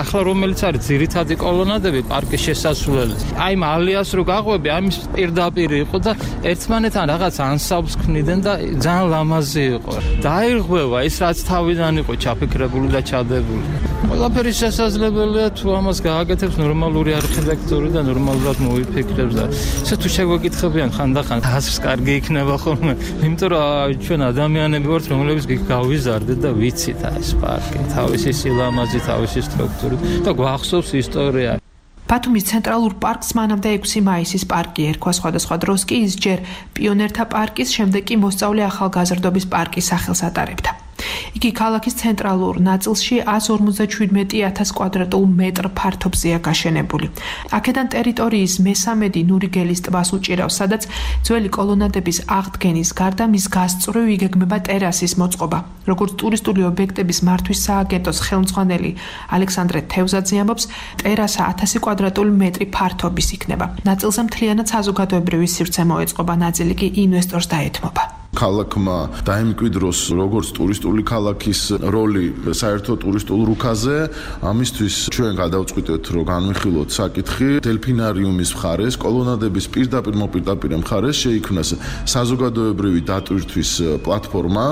ახლა რომელიც არის ძირითადი კოლონადები პარკის შესასვლელის. აი ამ ალიას რო გაყვები, ამის პირდაპირ იყო და ერთმანეთთან რაღაც ანსამბლს ქმნიდნენ და ძალიან ლამაზი იყო. დაირღვევა ის რაც თავიდან იყო ჩაფიქრებული და ჩადებული. ყველაფერი შესაძლებელია თუ ამას გააკეთებს ნორმალური არქიტექტორი და ნორმალურად მოიფიქრებს და ესე თუ შეგვეკითხებიან ხანდახან აზრს კარგი იქნება ხოლმე. იმიტომ რომ ჩვენ ადამიანები ვართ, რომლებიც გავიზარდეთ და ვიცით ეს პარკი, თავისი სილამაზით, თავისი სტრუქტურით და გვახსოვს ისტორია. ბათუმის ცენტრალურ პარკს მანამდე ექვსი მაისის პარკი ერქვა, სხვადასხვა დროს კი ის ჯერ პიონერთა პარკის, შემდეგ კი მოსწავლე ახალგაზრდობის პარკის სახელს ატარებდა. იგი ქალაქის ცენტრალურ ნაწილში ათას ორმოცდაშვიდმეტი ათას კვადრატულ მეტრ ფართობზეა გაშენებული. აქედან ტერიტორიის მესამედი ნურიგელის ტბას უჭირავს, სადაც ძველი კოლონადების აღდგენის გარდა მის გასწვრივ იგეგმება ტერასის მოწყობა. როგორც ტურისტული ობიექტების მართვის სააგენტოს ხელმძღვანელი ალექსანდრე თევზაძე ამბობს, ტერასა ათასი კვადრატული მეტრი ფართობის იქნება. ნაწილზე მთლიანად საზოგადოებრივი სივრცე მოეწყობა, ნაწილი კი ინვესტორს დაეთმობა. ქალაქმა დაემკვიდროს როგორც ტურისტული ქალაქის როლი საერთო ტურისტულ რუკაზე, ამისთვის ჩვენ გადავწყვიტეთ, რომ განვიხილოთ საკითხი დელფინარიუმის მხარეს, კოლონადების პირდაპირ მოპირდაპირ მხარეს შეიქმნას საზოგადოებრივი დატვირთვის პლატფორმა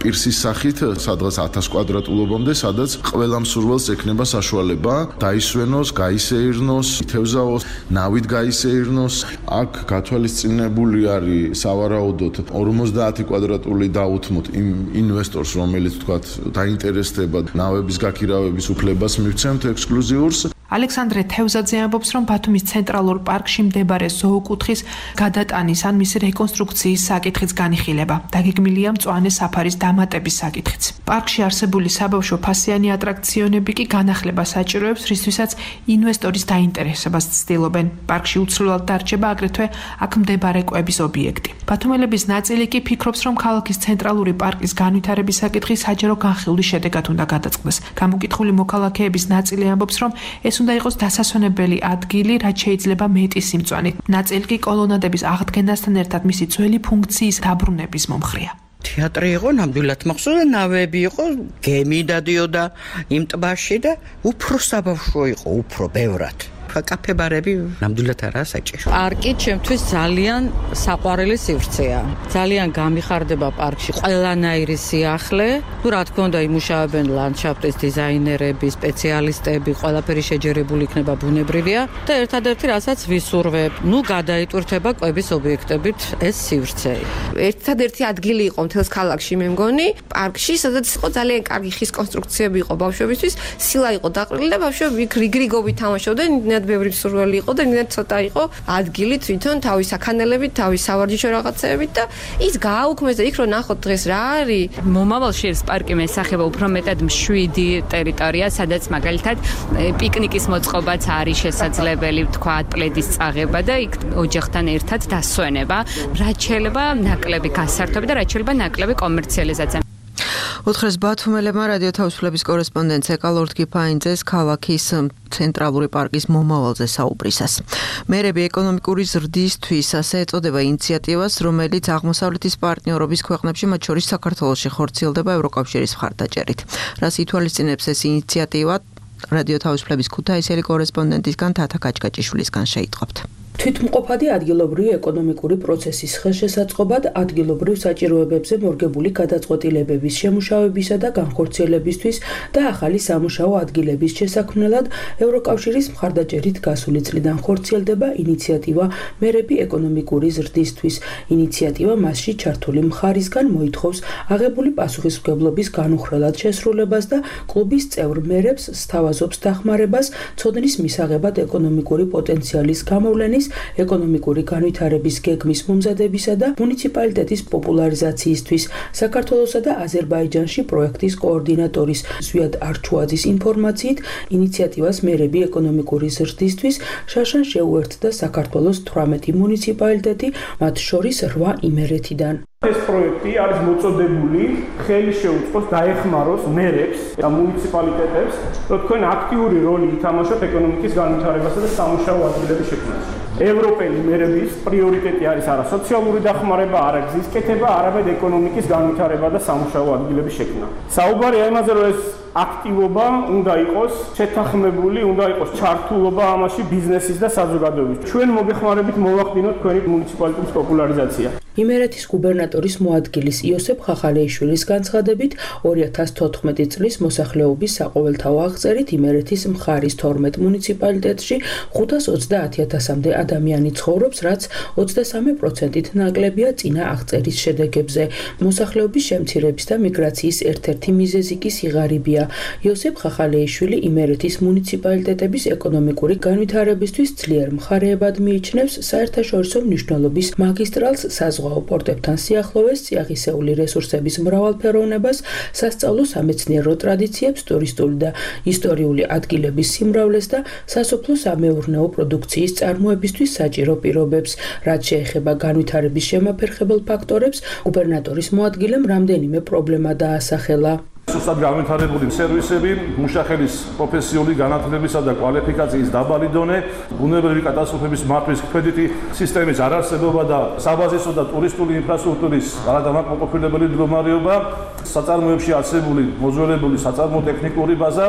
პირსის სახით, სადღაც ათას კვადრატულობამდე, სადაც ყველა მსურველს ექნება საშუალება დაისვენოს, გაისეირნოს, ითევზაოს, ნავით გაისეირნოს. აქ გათვალისწინებული არის სავარაუდოდ ორმოცდაათი კვადრატული დაუთმოთ იმ ინვესტორს, რომელიც თქვათ დაინტერესდება ნავების გაქირავების უფლებას მივცემთ ექსკლუზიურს. ალექსანდრე თევზაძე ამბობს, რომ ბათუმის ცენტრალურ პარკში მდებარე ზოოკუთხის გადატანის ან მისი რეკონსტრუქციის საკითხიც განიხილება. დაგეგმილია მწვანე საფარის დამატების საკითხიც. პარკში არსებული საბავშვო ფასიანი ატრაქციონები კი განახლებას საჭიროებს, რისთვისაც ინვესტორის დაინტერესებას ცდილობენ. პარკში უცვლელად დარჩება აგრეთვე აქ მდებარე კვების ობიექტი. ბათუმელების ნაწილი კი ფიქრობს, რომ ქალაქის ცენტრალური პარკის განვითარების საკითხი საჯარო განხილვის შედეგად უნდა გადაწყდეს. გამოკითხული მოქალაქეების ნაწილი ამბობს, რომ ეს უნდა იყოს დასასვენებელი ადგილი, რაც შეიძლება მეტი სიმწვანით. ნაწილი კი კოლონადების აღდგენასთან ერთად მისი ძველი ფუნქციის დაბრუნების მომხრეა. თეატრი იყო, ნამდვილად მახსოვს, ნავები იყო, გემი დადიოდა იმ ტბაში და უფრო საბავშვო იყო, უფრო ბევრად. კაფე-ბარები ნამდვილად არაა საჭირო. პარკი ჩემთვის ძალიან საყვარელი სივრცეა. ძალიან გამიხარდება პარკში ყველანაირი სიახლე. თუ რა თქმა უნდა იმუშავებენ ლანდშაფტის დიზაინერები, სპეციალისტები, ყველაფერი შეჯერებული იქნება ბუნებრივია და ერთადერთი რასაც ვისურვებ, ნუ გადაიტვირთება კვების ობიექტებით ეს სივრცე. ერთადერთი ადგილი იყო მთელს ქალაქში, მე მგონი, პარკში, სადაც იყო ძალიან კარგი ხის კონსტრუქციები იყო ბავშვებისთვის, სილა იყო დაყრილი და ბავშვები რიგრიგობით თამაშობდნენ. იმდენად ბევრი მსურველი იყო და იმდენად ცოტა იყო ადგილი თვითონ თავის საქანელებით, თავის სავარჯიშო რაღაცეებით და ის გააუქმეს და იქ რო ნახოთ დღეს რა არის. მომავალში ეს პარკი მესახება უფრო მეტად მშვიდი ტერიტორია, სადაც მაგალითად პიკნიკის მოწყობაც არის შესაძლებელი, თქვათ, პლედის წაღება და იქ ოჯახთან ერთად დასვენება, რაც შეიძლება ნაკლები გასართობი და რაც შეიძლება ნაკლები კომერციალიზაცია. უთხრეს ბათუმელებმა რადიო თავისუფლების კორესპონდენტ ეკალორდ კიფაინძეს ქალაქის ცენტრალური პარკის მომავალზე საუბრისას. მერები ეკონომიკური ზრდისთვის ასე ეწოდება ინიციატივას, რომელიც აღმოსავლეთის პარტნიორობის ქვეყნებში, მათ შორის საქართველოში ხორციელდება ევროკავშირის მხარდაჭერით. რას ითვალისწინებს ეს ინიციატივა? რადიო თავისუფლების ქუთაისელი კორესპონდენტისგან თათა კაჭკაჭიშვილისგან შეიტყობთ. თვითმყოფადი ადგილობრივი ეკონომიკური პროცესის ხელშესაწყობად ადგილობრივ საჭიროებებზე მორგებული გადაწყვეტილებების შემუშავებისა და განხორციელებისთვის და ახალი სამუშაო ადგილების შესაქმნელად ევროკავშირის მხარდაჭერით გასული წლიდან ხორციელდება ინიციატივა მერები ეკონომიკური ზრდისთვის. ინიციატივა მასში ჩართული მხარისგან მოითხოვს აღებული პასუხისმგებლობის განუხრელად შესრულებას და კლუბის წევრ მერებს სთავაზობს დახმარებას ცოდნის მისაღებად ეკონომიკური პოტენციალის გამოვლენის, ეკონომიკური განვითარების გეგმის მომზადებისა და მუნიციპალიტეტის პოპულარიზაციისთვის. საქართველოსა და აზერბაიჯანში პროექტის კოორდინატორის ზვიად არჩუაძის ინფორმაციით, ინიციატივას მერები ეკონომიკური ზრდისთვის შაშან შეუერთდა საქართველოს თვრამეტი მუნიციპალიტეტი, მათ შორის რვა იმერეთიდან. ეს პროექტი არის მოწოდებული ხელი შეუწყოს დაეხმაროს მერებს და მუნიციპალიტეტებს, რომ თქვენ აქტიური როლი ითამაშოთ ეკონომიკის განვითარებასა და სამუშაო ადგილების შექმნაში. ევროპელი მერების პრიორიტეტი არის არა სოციალური დახმარება, არა გზის კეთება, არამედ ეკონომიკის განვითარება და სამუშაო ადგილების შექმნა. საუბარია იმაზე, რომ ეს აქტივობა უნდა იყოს შეთანხმებული, უნდა იყოს ჩართულობა ამაში ბიზნესის და საზოგადოების. ჩვენ მოგეხმარებით მოვახდინოთ თქვენი მუნიციპალიტეტის პოპულარიზაცია. იმერეთის გუბერნატორის მოადგილის იოსებ ხახალეიშვილის განცხადებით, ორი ათას თოთხმეტი წლის მოსახლეობის საყოველთაო აღწერით იმერეთის მხარის თორმეტ მუნიციპალიტეტში ხუთას ოცდაათი ათასამდე ადამიანი ცხოვრობს, რაც ოცდასამი პროცენტით ნაკლებია წინა აღწერის შედეგებზე. მოსახლეობის შემცირების და მიგრაციის ერთ-ერთი მიზეზი კი სიღარიბეა. იოსებ ხახალეიშვილი იმერეთის მუნიციპალიტეტების ეკონომიკური განვითარებისთვის ძლიერ მხარეებად მიიჩნევს საერთაშორისო მნიშვნელობის მაგისტრალს, საზღვაო პორტებთან სიახლოვეს, წიაღისეული რესურსების მრავალფეროვნებას, სასწავლო სამეცნიერო ტრადიციებს, ტურისტული და ისტორიული ადგილების სიმრავლეს და სასოფლო-სამეურნეო პროდუქციის წარმოებისთვის საჭირო პირობებს. რაც შეეხება განვითარების შემაფერხებელ ფაქტორებს, გუბერნატორის მოადგილემ რამდენიმე პრობლემა დაასახელა. სუსტად განვითარებული სერვისები, მუშახელის პროფესიული განათლებისა და კვალიფიკაციის დაბალი დონე, ბუნებრივი კატასტროფების მართვის კრედიტი სისტემის არარსებობა და საბაზისო და ტურისტული ინფრასტრუქტურის არადამაკმაყოფილებელი მდგომარეობა, საწარმოებში არსებული მოძველებული საწარმო ტექნიკური ბაზა,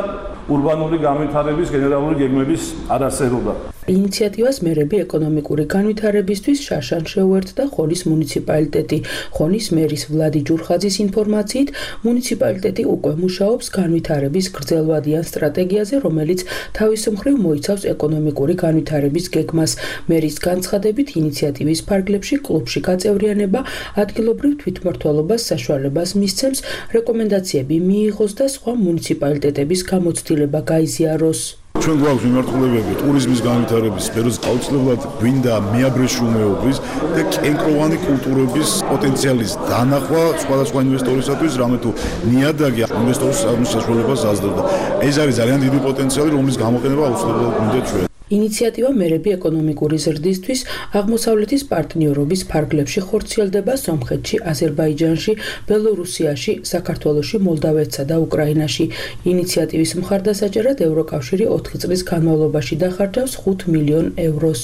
ურბანული განვითარების გენერალური გეგმების არარსებობა. ინიციატივას მერები ეკონომიკური განვითარებისთვის შაშან შეუერთდა ხონის მუნიციპალიტეტი. ხონის მერის ვლადი ჯურხაძის ინფორმაციით, მუნიციპალიტეტი უკვე მუშაობს განვითარების გრძელვადიან სტრატეგიაზე, რომელიც თავის მხრივ მოიცავს ეკონომიკური განვითარების გეგმას. მერის განცხადებით, ინიციატივის ფარგლებში კლუბში გაწევრიანება ადგილობრივ თვითმმართველობას საშუალებას მისცემს, რეკომენდაციები მიიღოს და სხვა მუნიციპალიტეტების გამოცდილება გაიზიაროს. ჩვენ გვაქვს მიმართულებები ტურიზმის განვითარების სფეროს, აუცილებლად გვინდა მეაბრეშუმეობის და კენკროვანი კულტურების პოტენციალის დანახვა სხვადასხვა ინვესტორისათვის, რამე თუ ნიადაგი ინვესტორის საშუალებას აძლევდა. ეს არის ძალიან დიდი პოტენციალი, რომლის გამოყენება აუცილებლად გვინდა ჩვენ. ინიციატივა მერები ეკონომიკური ზრდისთვის აღმოსავლეთის პარტნიორობის ფარგლებში ხორციელდება სომხეთში, აზერბაიჯანში, ბელორუსიაში, საქართველოში, მოლდავეთსა და უკრაინაში. ინიციატივის მხარდასაჭერად ევროკავშირი ოთხი წლის განმავლობაში დახარჯავს ხუთ მილიონ ევროს.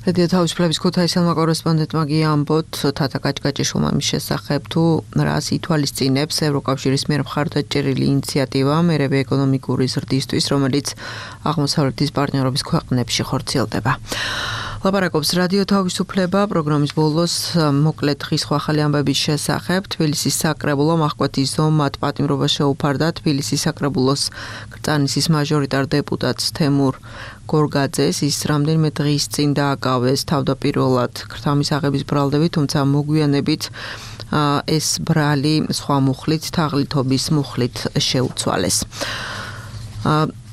რადიო თავისუფლების ქუთაისელმა კორესპონდენტმა გიამბოთ თათა კაჭკაჭიშვილმა მის შესახებ თუ რას ითვალისწინებს ევროკავშირის მიერ მხარდაჭერილი ინიციატივა მერები ეკონომიკური ზრდისთვის, რომელიც აღმოსავლეთის პარტნიორობის ქვეყნებში ხორციელდება. ლაპარაკობს რადიო თავისუფლება პროგრამის ბოლოს მოკლედ დღის ახალი ამბების შესახებ. თბილისის საკრებულომ ახკვეთის ზომად პატიმრობა შეუფარდა თბილისის საკრებულოს კრწანისის მაჟორიტარ დეპუტატს თემურ გორგაძეს. ის რამდენიმე დღის წინ დააკავეს თავდაპირველად ქრთამის აღების ბრალდებით, თუმცა მოგვიანებით ეს ბრალი სხვა მუხლით, თაღლითობის მუხლით შეუცვალეს.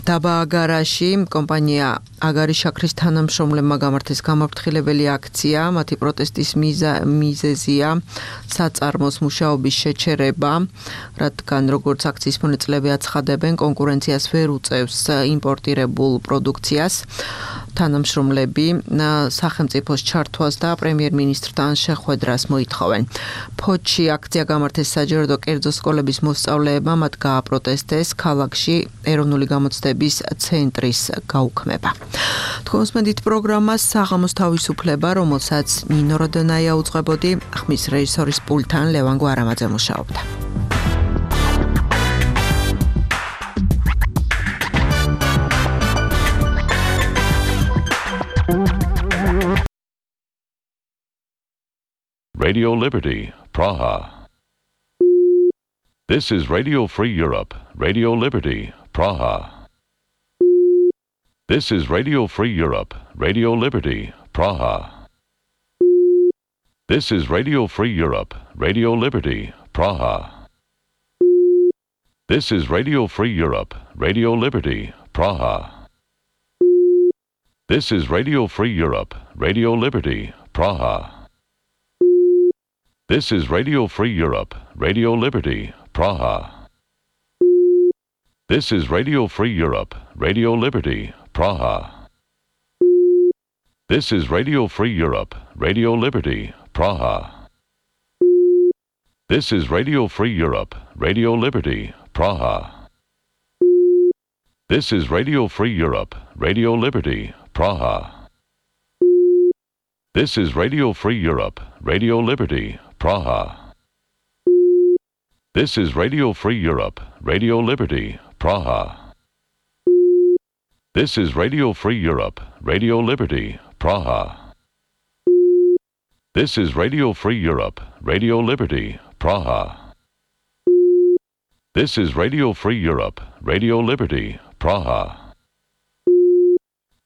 დაბა აგარაში კომპანია აგარი შაქრის თანამშრომლებმა გამართეს გამაფრთხილებელი აქცია. მათი პროტესტის მიზეზია საწარმოს მუშაობის შეჩერება, რადგან როგორც აქციის მონაწილეები აცხადებენ, კონკურენციას ვერ უწევს იმპორტირებულ პროდუქციას. თანამშრომლები სახელმწიფოს ჩართვას და პრემიერ-მინისტრთან შეხვედრას მოითხოვენ. ფოთში აქცია გამართეს საჯარო კერძო სკოლების მოსწავლეებმა, მათ გააპროტესტეს ქალაქში ეროვნული გამოცდების ცენტრის გაუქმება. თქვენს მედით პროგრამას საღამოს თავისუფლება, რომელსაც ნინო როდონაია უძღვებოდი, ხმის რეჟისორის პულტთან ლევან გვარამაძე მუშაობდა. Radio Liberty, Praha. This is Radio Free Europe, Radio Liberty, Praha. This is Radio Free Europe, Radio Liberty, Praha. This is Radio Free Europe, Radio Liberty, Praha. This is Radio Free Europe, Radio Liberty, Praha. This is Radio Free Europe, Radio Liberty, Praha. This is Radio Free Europe, Radio Liberty, Praha. This is Radio Free Europe, Radio Liberty, Praha. This is Radio Free Europe, Radio Liberty, Praha. This is Radio Free Europe, Radio Liberty, Praha. This is Radio Free Europe, Radio Liberty, Praha. This is Radio Free Europe, Radio Liberty, Praha. This is Radio Free Europe, Radio Liberty, Praha. This is Radio Free Europe, Radio Liberty, Praha. This is Radio Free Europe, Radio Liberty, Praha. This is Radio Free Europe, Radio Liberty, Praha.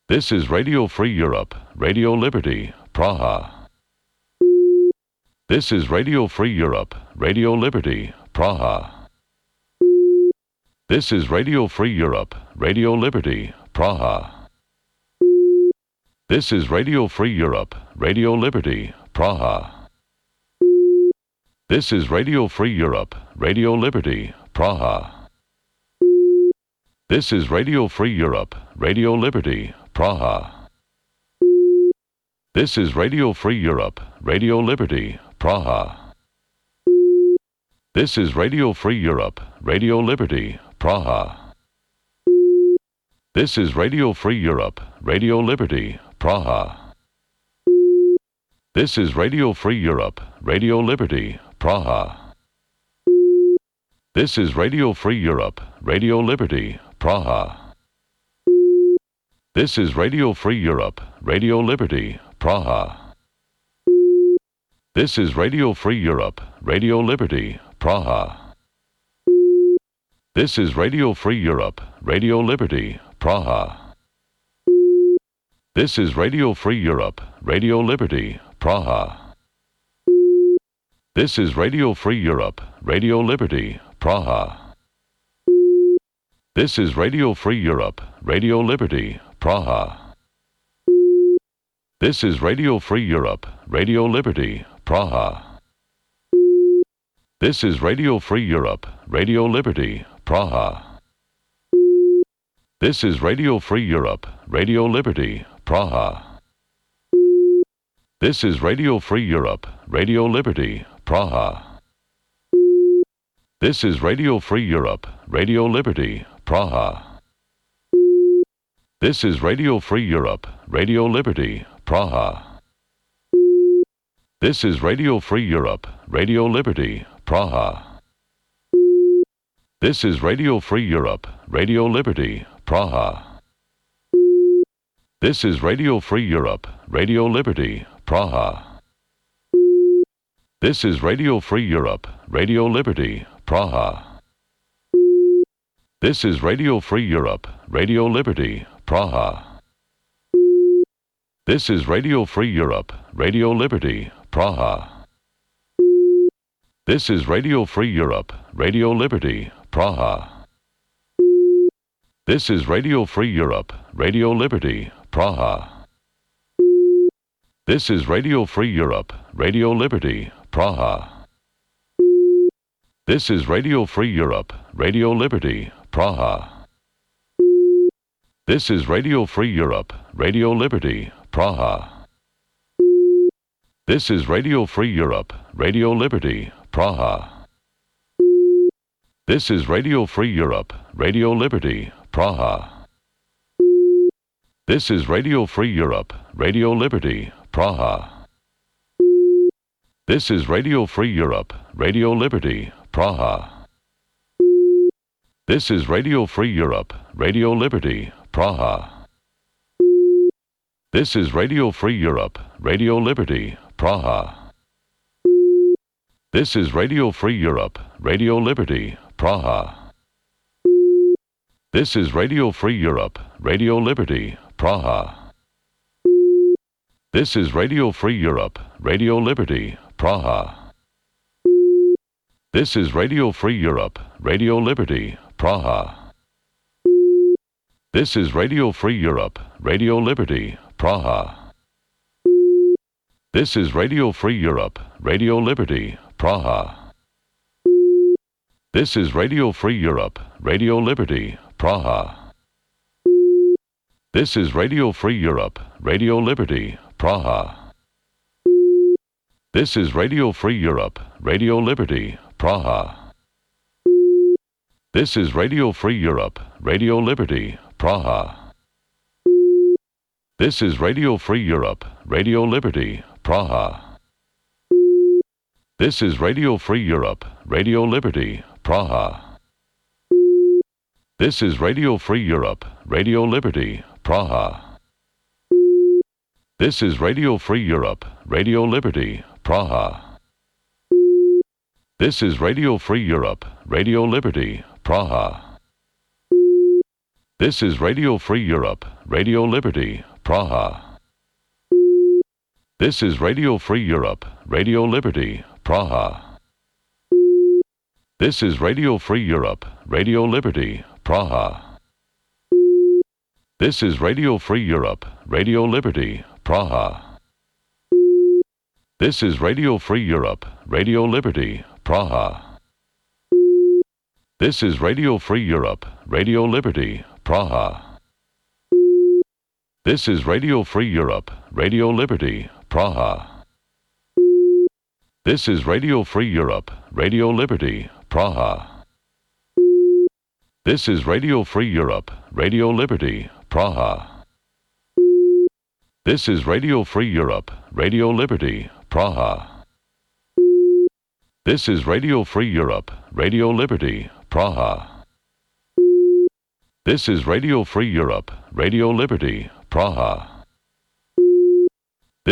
This is Radio Free Europe, Radio Liberty, Praha. This is Radio Free Europe, Radio Liberty, Praha. This is Radio Free Europe, Radio Liberty, Praha. This is Radio Free Europe, Radio Liberty, Praha. This is Radio Free Europe, Radio Liberty, Praha. This is Radio Free Europe, Radio Liberty, Praha. This is Radio Free Europe, Radio Liberty, Praha. This is Radio Free Europe, Radio Liberty, Praha. This is Radio Free Europe, Radio Liberty, Praha. This is Radio Free Europe, Radio Liberty, Praha. This is Radio Free Europe, Radio Liberty, Praha. This is Radio Free Europe, Radio Liberty, Praha. This is Radio Free Europe, Radio Liberty, Praha. This is Radio Free Europe, Radio Liberty, Praha. This is Radio Free Europe, Radio Liberty, Praha. This is Radio Free Europe, Radio Liberty, Praha. This is Radio Free Europe, Radio Liberty, Praha. This is Radio Free Europe, Radio Liberty, Praha. This is Radio Free Europe, Radio Liberty, Praha. This is Radio Free Europe, Radio Liberty, Praha. This is Radio Free Europe, Radio Liberty, Praha. This is Radio Free Europe, Radio Liberty, Praha. This is Radio Free Europe, Radio Liberty, Praha. This is Radio Free Europe, Radio Liberty, Praha. This is Radio Free Europe, Radio Liberty, Praha. This is Radio Free Europe, Radio Liberty, Praha. This is Radio Free Europe, Radio Liberty, Praha. This is Radio Free Europe, Radio Liberty, Praha. This is Radio Free Europe, Radio Liberty, Praha. This is Radio Free Europe, Radio Liberty, Praha. This is Radio Free Europe, Radio Liberty, Praha. This is Radio Free Europe, Radio Liberty, Praha. This is Radio Free Europe, Radio Liberty, Praha. This is Radio Free Europe, Radio Liberty, Praha. This is Radio Free Europe, Radio Liberty, Praha. This is Radio Free Europe, Radio Liberty, Praha. This is Radio Free Europe, Radio Liberty, Praha. This is Radio Free Europe, Radio Liberty, Praha. This is Radio Free Europe, Radio Liberty, Praha. This is Radio Free Europe, Radio Liberty, Praha. This is Radio Free Europe, Radio Liberty, Praha. This is Radio Free Europe, Radio Liberty, Praha. This is Radio Free Europe, Radio Liberty, Praha. This is Radio Free Europe, Radio Liberty, Praha. This is Radio Free Europe, Radio Liberty, Praha. This is Radio Free Europe, Radio Liberty, Praha. This is Radio Free Europe, Radio Liberty, Praha. This is Radio Free Europe, Radio Liberty, Praha. This is Radio Free Europe, Radio Liberty, Praha. This is Radio Free Europe, Radio Liberty, Praha. This is Radio Free Europe, Radio Liberty, Praha. This is Radio Free Europe, Radio Liberty, Praha. This is Radio Free Europe, Radio Liberty, Praha. This is Radio Free Europe, Radio Liberty, Praha. This is Radio Free Europe, Radio Liberty, Praha. This is Radio Free Europe, Radio Liberty, Praha. This is Radio Free Europe, Radio Liberty, Praha. This is Radio Free Europe, Radio Liberty, Praha. This is Radio Free Europe, Radio Liberty, Praha. This is Radio Free Europe, Radio Liberty, Praha. This is Radio Free Europe, Radio Liberty, Praha. This is Radio Free Europe, Radio Liberty, Praha. This is Radio Free Europe, Radio Liberty, Praha. This is Radio Free Europe, Radio Liberty, Praha. This is Radio Free Europe, Radio Liberty, Praha. This is Radio Free Europe, Radio Liberty, Praha. This is Radio Free Europe, Radio Liberty, Praha.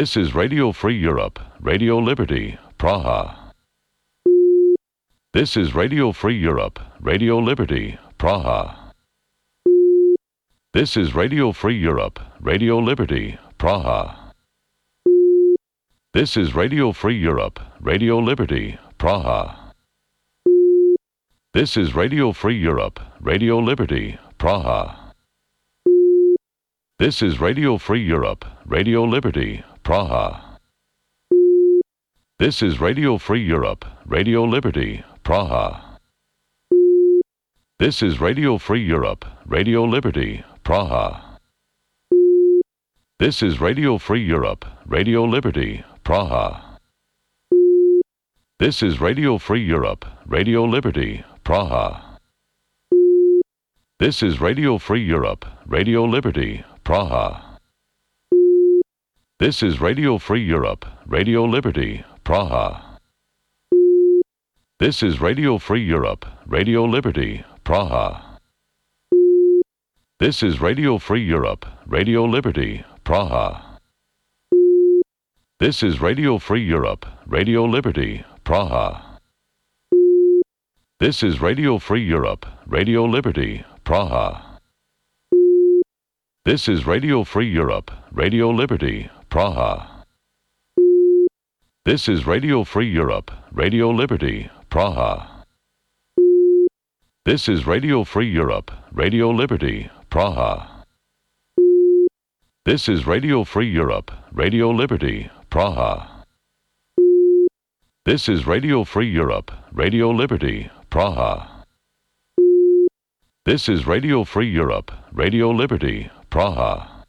This is Radio Free Europe, Radio Liberty, Praha. This is Radio Free Europe, Radio Liberty, Praha. This is Radio Free Europe, Radio Liberty, Praha. This is Radio Free Europe, Radio Liberty, Praha. This is Radio Free Europe, Radio Liberty, Praha. This is Radio Free Europe, Radio Liberty, Praha. This is Radio Free Europe, Radio Liberty, Praha. This is Radio Free Europe, Radio Liberty, Praha. This is Radio Free Europe, Radio Liberty, Praha. This is Radio Free Europe, Radio Liberty, Praha. This is Radio Free Europe, Radio Liberty, Praha. This is Radio Free Europe, Radio Liberty, Praha. This is Radio Free Europe, Radio Liberty, Praha. This is Radio Free Europe, Radio Liberty, Praha. This is Radio Free Europe, Radio Liberty, Praha. This is Radio Free Europe, Radio Liberty, Praha. This is Radio Free Europe, Radio Liberty, Praha. This is Radio Free Europe, Radio Liberty, Praha. This is Radio Free Europe, Radio Liberty, Praha. This is Radio Free Europe, Radio Liberty, Praha. This is Radio Free Europe, Radio Liberty, Praha. This is Radio Free Europe, Radio Liberty, Praha.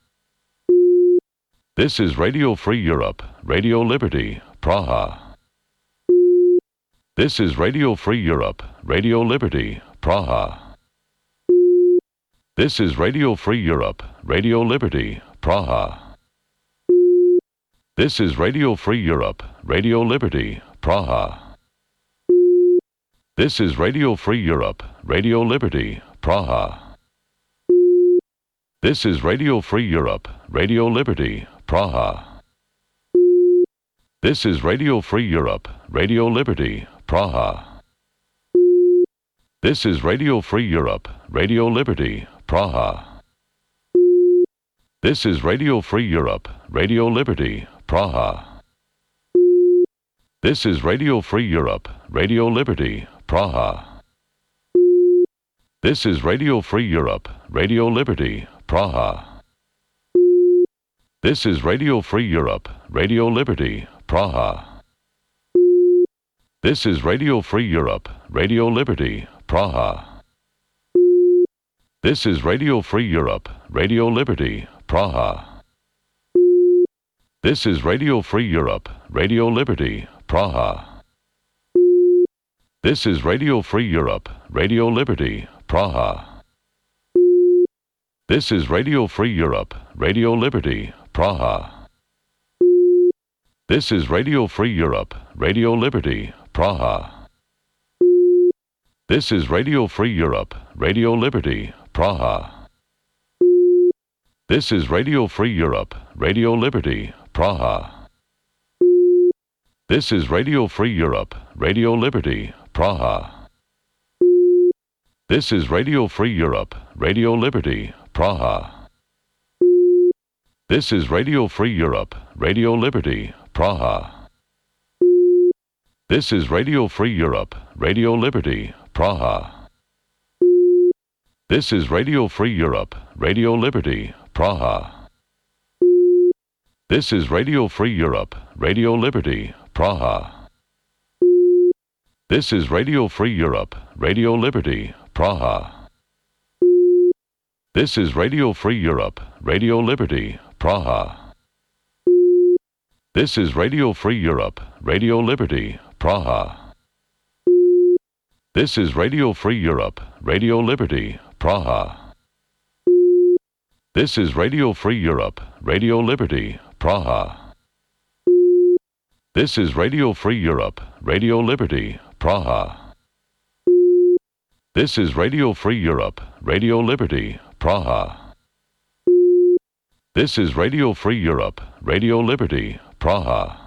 This is Radio Free Europe, Radio Liberty, Praha. This is Radio Free Europe, Radio Liberty, Praha. This is Radio Free Europe, Radio Liberty, Praha. This is Radio Free Europe, Radio Liberty, Praha. This is Radio Free Europe, Radio Liberty, Praha. This is Radio Free Europe, Radio Liberty, Praha. This is Radio Free Europe, Radio Liberty, Praha. This is Radio Free Europe, Radio Liberty, Praha. This is Radio Free Europe, Radio Liberty, Praha. This is Radio Free Europe, Radio Liberty, Praha. This is Radio Free Europe, Radio Liberty, Praha. This is Radio Free Europe, Radio Liberty, Praha. This is Radio Free Europe, Radio Liberty, Praha. This is Radio Free Europe, Radio Liberty, Praha. This is Radio Free Europe, Radio Liberty, Praha. This is Radio Free Europe, Radio Liberty, Praha. This is Radio Free Europe, Radio Liberty, Praha. This is Radio Free Europe, Radio Liberty, Praha. This is Radio Free Europe, Radio Liberty, Praha. This is Radio Free Europe, Radio Liberty, Praha. This is Radio Free Europe, Radio Liberty, Praha. This is Radio Free Europe, Radio Liberty, Praha. This is Radio Free Europe, Radio Liberty, Praha. This is Radio Free Europe, Radio Liberty, Praha. This is Radio Free Europe, Radio Liberty, Praha. This is Radio Free Europe, Radio Liberty, Praha. This is Radio Free Europe, Radio Liberty, Praha. This is Radio Free Europe, Radio Liberty, Praha. This is Radio Free Europe, Radio Liberty, Praha. This is Radio Free Europe, Radio Liberty, Praha. This is Radio Free Europe, Radio Liberty, Praha. This is Radio Free Europe, Radio Liberty, Praha. This is Radio Free Europe, Radio Liberty, Praha. This is Radio Free Europe, Radio Liberty, Praha.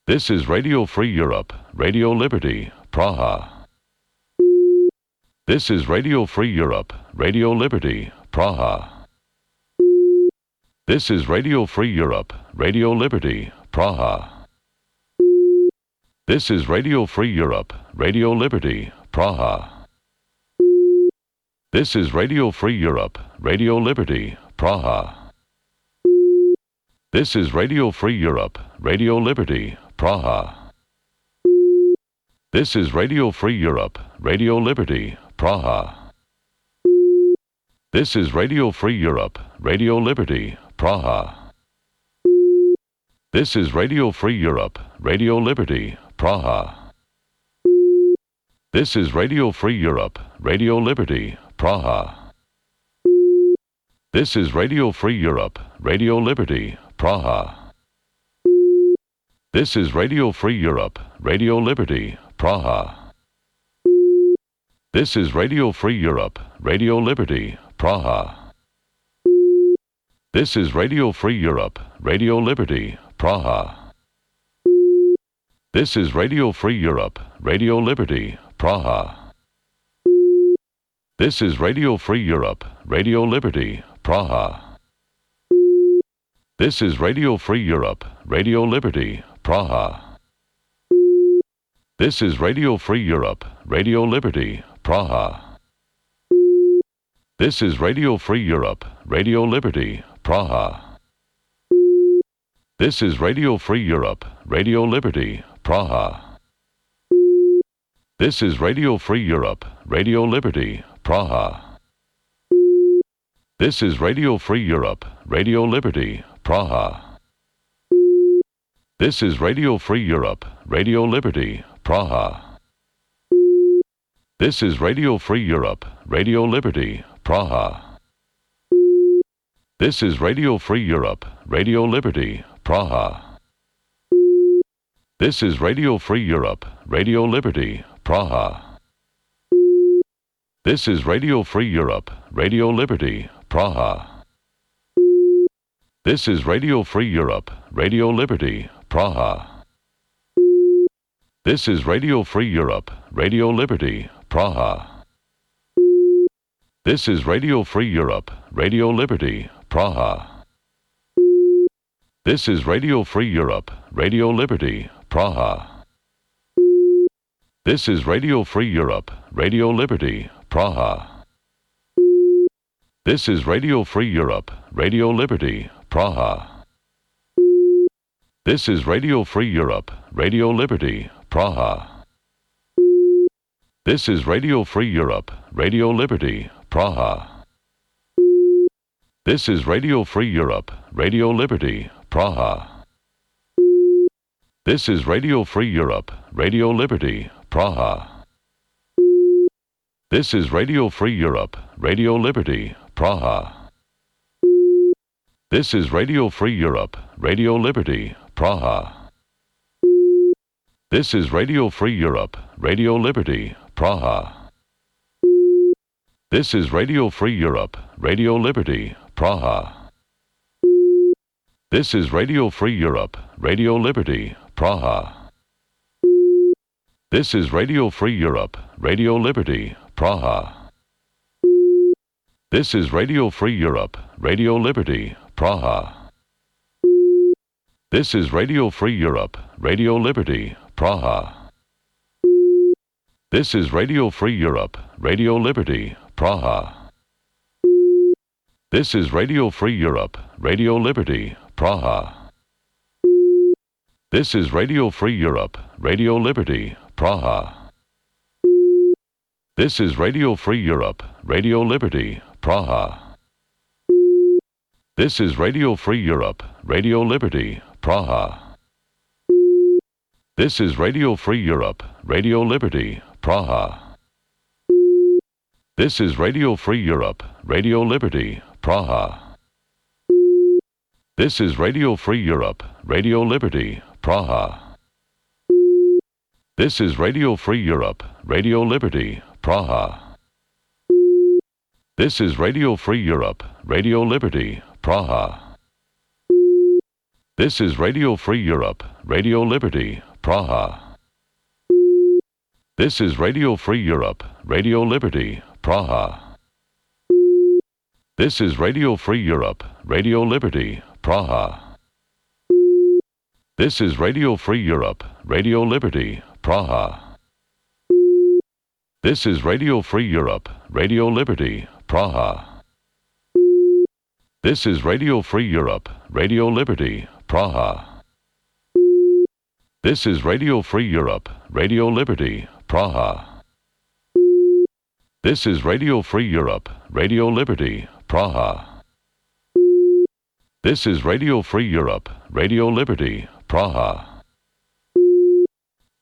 This is Radio Free Europe, Radio Liberty, Praha. This is Radio Free Europe, Radio Liberty, Praha. This is Radio Free Europe, Radio Liberty, Praha. This is Radio Free Europe, Radio Liberty, Praha. This is Radio Free Europe, Radio Liberty, Praha. This is Radio Free Europe, Radio Liberty, Praha. This is Radio Free Europe, Radio Liberty, Praha. This is Radio Free Europe, Radio Liberty, Praha. This is Radio Free Europe, Radio Liberty, Praha. This is Radio Free Europe, Radio Liberty, Praha. This is Radio Free Europe, Radio Liberty, Praha. This is Radio Free Europe, Radio Liberty, Praha. This is Radio Free Europe, Radio Liberty, Praha. This is Radio Free Europe, Radio Liberty, Praha. This is Radio Free Europe, Radio Liberty, Praha. This is Radio Free Europe, Radio Liberty, Praha. This is Radio Free Europe, Radio Liberty, Praha. This is Radio Free Europe, Radio Liberty, Praha. This is Radio Free Europe, Radio Liberty, Praha. This is Radio Free Europe, Radio Liberty, Praha. This is Radio Free Europe, Radio Liberty, Praha. This is Radio Free Europe, Radio Liberty, Praha. This is Radio Free Europe, Radio Liberty, Praha. This is Radio Free Europe, Radio Liberty, Praha. This is Radio Free Europe, Radio Liberty, Praha. This is Radio Free Europe, Radio Liberty, Praha. This is Radio Free Europe, Radio Liberty, Praha. This is Radio Free Europe, Radio Liberty, Praha. This is Radio Free Europe, Radio Liberty, Praha. This is Radio Free Europe, Radio Liberty, Praha. This is Radio Free Europe, Radio Liberty, Praha. This is Radio Free Europe, Radio Liberty, Praha. This is Radio Free Europe, Radio Liberty, Praha. This is Radio Free Europe, Radio Liberty, Praha. This is Radio Free Europe, Radio Liberty, Praha. This is Radio Free Europe, Radio Liberty, Praha. This is Radio Free Europe, Radio Liberty, Praha. This is Radio Free Europe, Radio Liberty, Praha. This is Radio Free Europe, Radio Liberty, Praha. This is Radio Free Europe, Radio Liberty, Praha. This is Radio Free Europe, Radio Liberty, Praha. This is Radio Free Europe, Radio Liberty, Praha. This is Radio Free Europe, Radio Liberty, Praha. This is Radio Free Europe, Radio Liberty, Praha. This is Radio Free Europe, Radio Liberty, Praha. This is Radio Free Europe, Radio Liberty, Praha. This is Radio Free Europe, Radio Liberty, Praha. This is Radio Free Europe, Radio Liberty, Praha. This is Radio Free Europe, Radio Liberty, Praha. This is Radio Free Europe, Radio Liberty, Praha. This is Radio Free Europe, Radio Liberty, Praha. This is Radio Free Europe, Radio Liberty, Praha. This is Radio Free Europe, Radio Liberty, Praha. This is Radio Free Europe, Radio Liberty, Praha. This is Radio Free Europe, Radio Liberty, Praha. This is Radio Free Europe, Radio Liberty, Praha. This is Radio Free Europe, Radio Liberty, Praha. This is Radio Free Europe, Radio Liberty, Praha. This is Radio Free Europe, Radio Liberty, Praha. This is Radio Free Europe, Radio Liberty, Praha. This is Radio Free Europe, Radio Liberty, Praha. This is Radio Free Europe, Radio Liberty, Praha. This is Radio Free Europe, Radio Liberty, Praha. This is Radio Free Europe, Radio Liberty, Praha.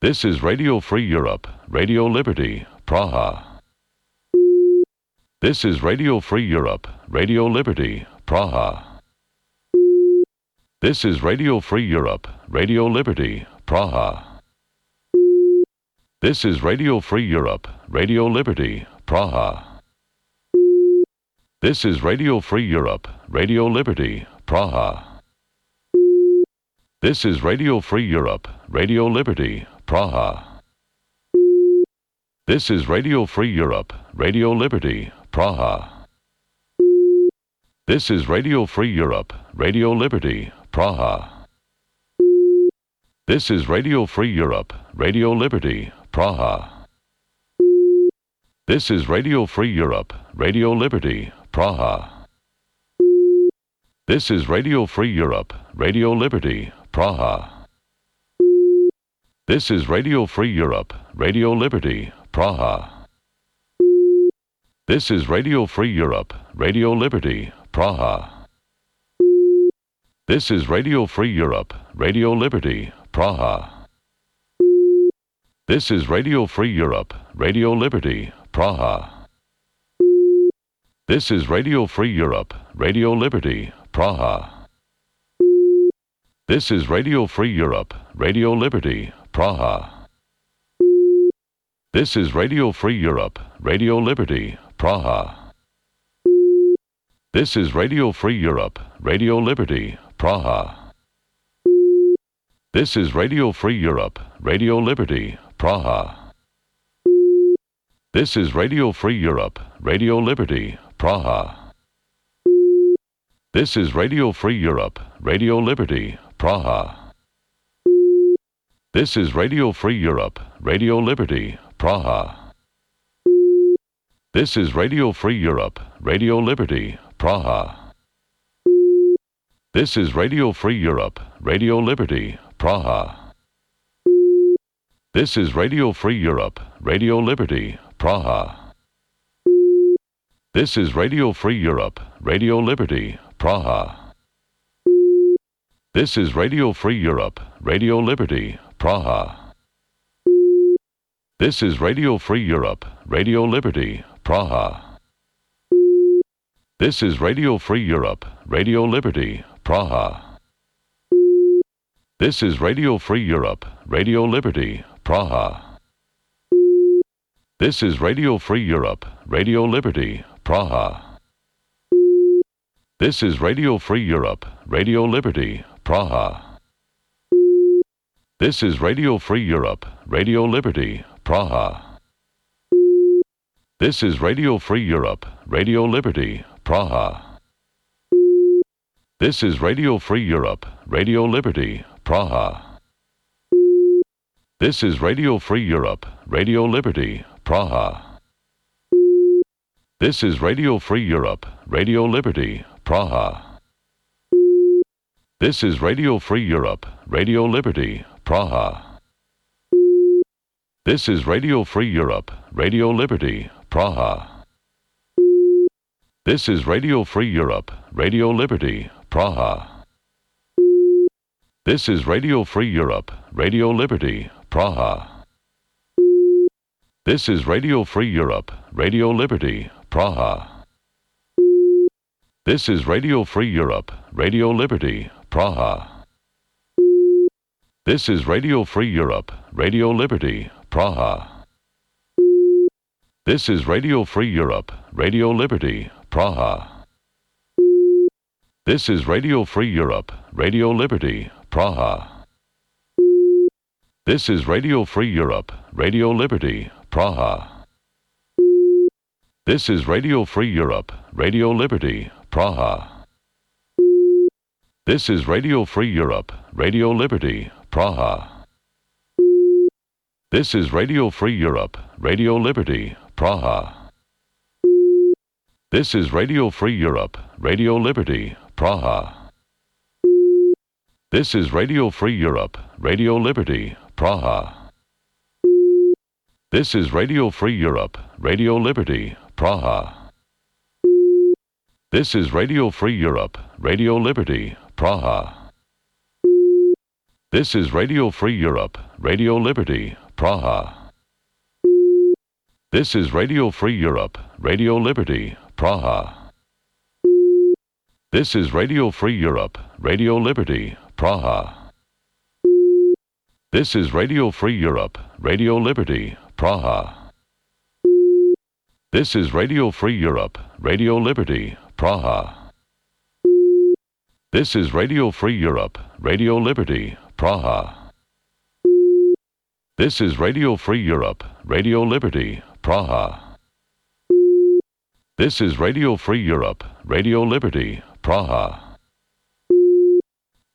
This is Radio Free Europe, Radio Liberty, Praha. This is Radio Free Europe, Radio Liberty, Praha. This is Radio Free Europe, Radio Liberty, Praha. This is Radio Free Europe, Radio Liberty, Praha. This is Radio Free Europe, Radio Liberty, Praha. This is Radio Free Europe, Radio Liberty, Praha. This is Radio Free Europe, Radio Liberty, Praha. This is Radio Free Europe, Radio Liberty, Praha. This is Radio Free Europe, Radio Liberty, Praha. This is Radio Free Europe, Radio Liberty, Praha. This is Radio Free Europe, Radio Liberty, Praha. This is Radio Free Europe, Radio Liberty, Praha. This is Radio Free Europe, Radio Liberty, Praha. This is Radio Free Europe, Radio Liberty, Praha. This is Radio Free Europe, Radio Liberty, Praha. This is Radio Free Europe, Radio Liberty, Praha. This is Radio Free Europe, Radio Liberty, Praha. This is Radio Free Europe, Radio Liberty, Praha. This is Radio Free Europe, Radio Liberty, Praha. This is Radio Free Europe, Radio Liberty, Praha. This is Radio Free Europe, Radio Liberty, Praha. This is Radio Free Europe, Radio Liberty, Praha. This is Radio Free Europe, Radio Liberty, Praha. This is Radio Free Europe, Radio Liberty, Praha. This is Radio Free Europe, Radio Liberty, Praha. This is Radio Free Europe, Radio Liberty, Praha. This is Radio Free Europe, Radio Liberty, Praha. This is Radio Free Europe, Radio Liberty, Praha. This is Radio Free Europe, Radio Liberty, Praha. This is Radio Free Europe, Radio Liberty, Praha. This is Radio Free Europe, Radio Liberty, Praha. This is Radio Free Europe, Radio Liberty, Praha. This is Radio Free Europe, Radio Liberty, Praha. This is Radio Free Europe, Radio Liberty, Praha. This is Radio Free Europe, Radio Liberty, Praha. This is Radio Free Europe, Radio Liberty, Praha. This is Radio Free Europe, Radio Liberty, Praha. This is Radio Free Europe, Radio Liberty, Praha. This is Radio Free Europe, Radio Liberty, Praha. This is Radio Free Europe, Radio Liberty, Praha. This is Radio Free Europe, Radio Liberty, Praha. This is Radio Free Europe, Radio Liberty, Praha. This is Radio Free Europe, Radio Liberty, Praha. This is Radio Free Europe, Radio Liberty, Praha. This is Radio Free Europe, Radio Liberty, Praha. This is Radio Free Europe, Radio Liberty, Praha. This is Radio Free Europe, Radio Liberty, Praha. This is Radio Free Europe, Radio Liberty, Praha. This is Radio Free Europe, Radio Liberty, Praha. This is Radio Free Europe, Radio Liberty, Praha. This is Radio Free Europe, Radio Liberty, Praha. This is Radio Free Europe, Radio Liberty, Praha. This is Radio Free Europe, Radio Liberty, Praha. This is Radio Free Europe, Radio Liberty, Praha. This is Radio Free Europe, Radio Liberty, Praha. This is Radio Free Europe, Radio Liberty, Praha. This is Radio Free Europe, Radio Liberty, Praha. This is Radio Free Europe, Radio Liberty, Praha. This is Radio Free Europe, Radio Liberty, Praha. This is Radio Free Europe, Radio Liberty, Praha. This is Radio Free Europe, Radio Liberty, Praha. This is Radio Free Europe, Radio Liberty, Praha. This is Radio Free Europe, Radio Liberty, Praha.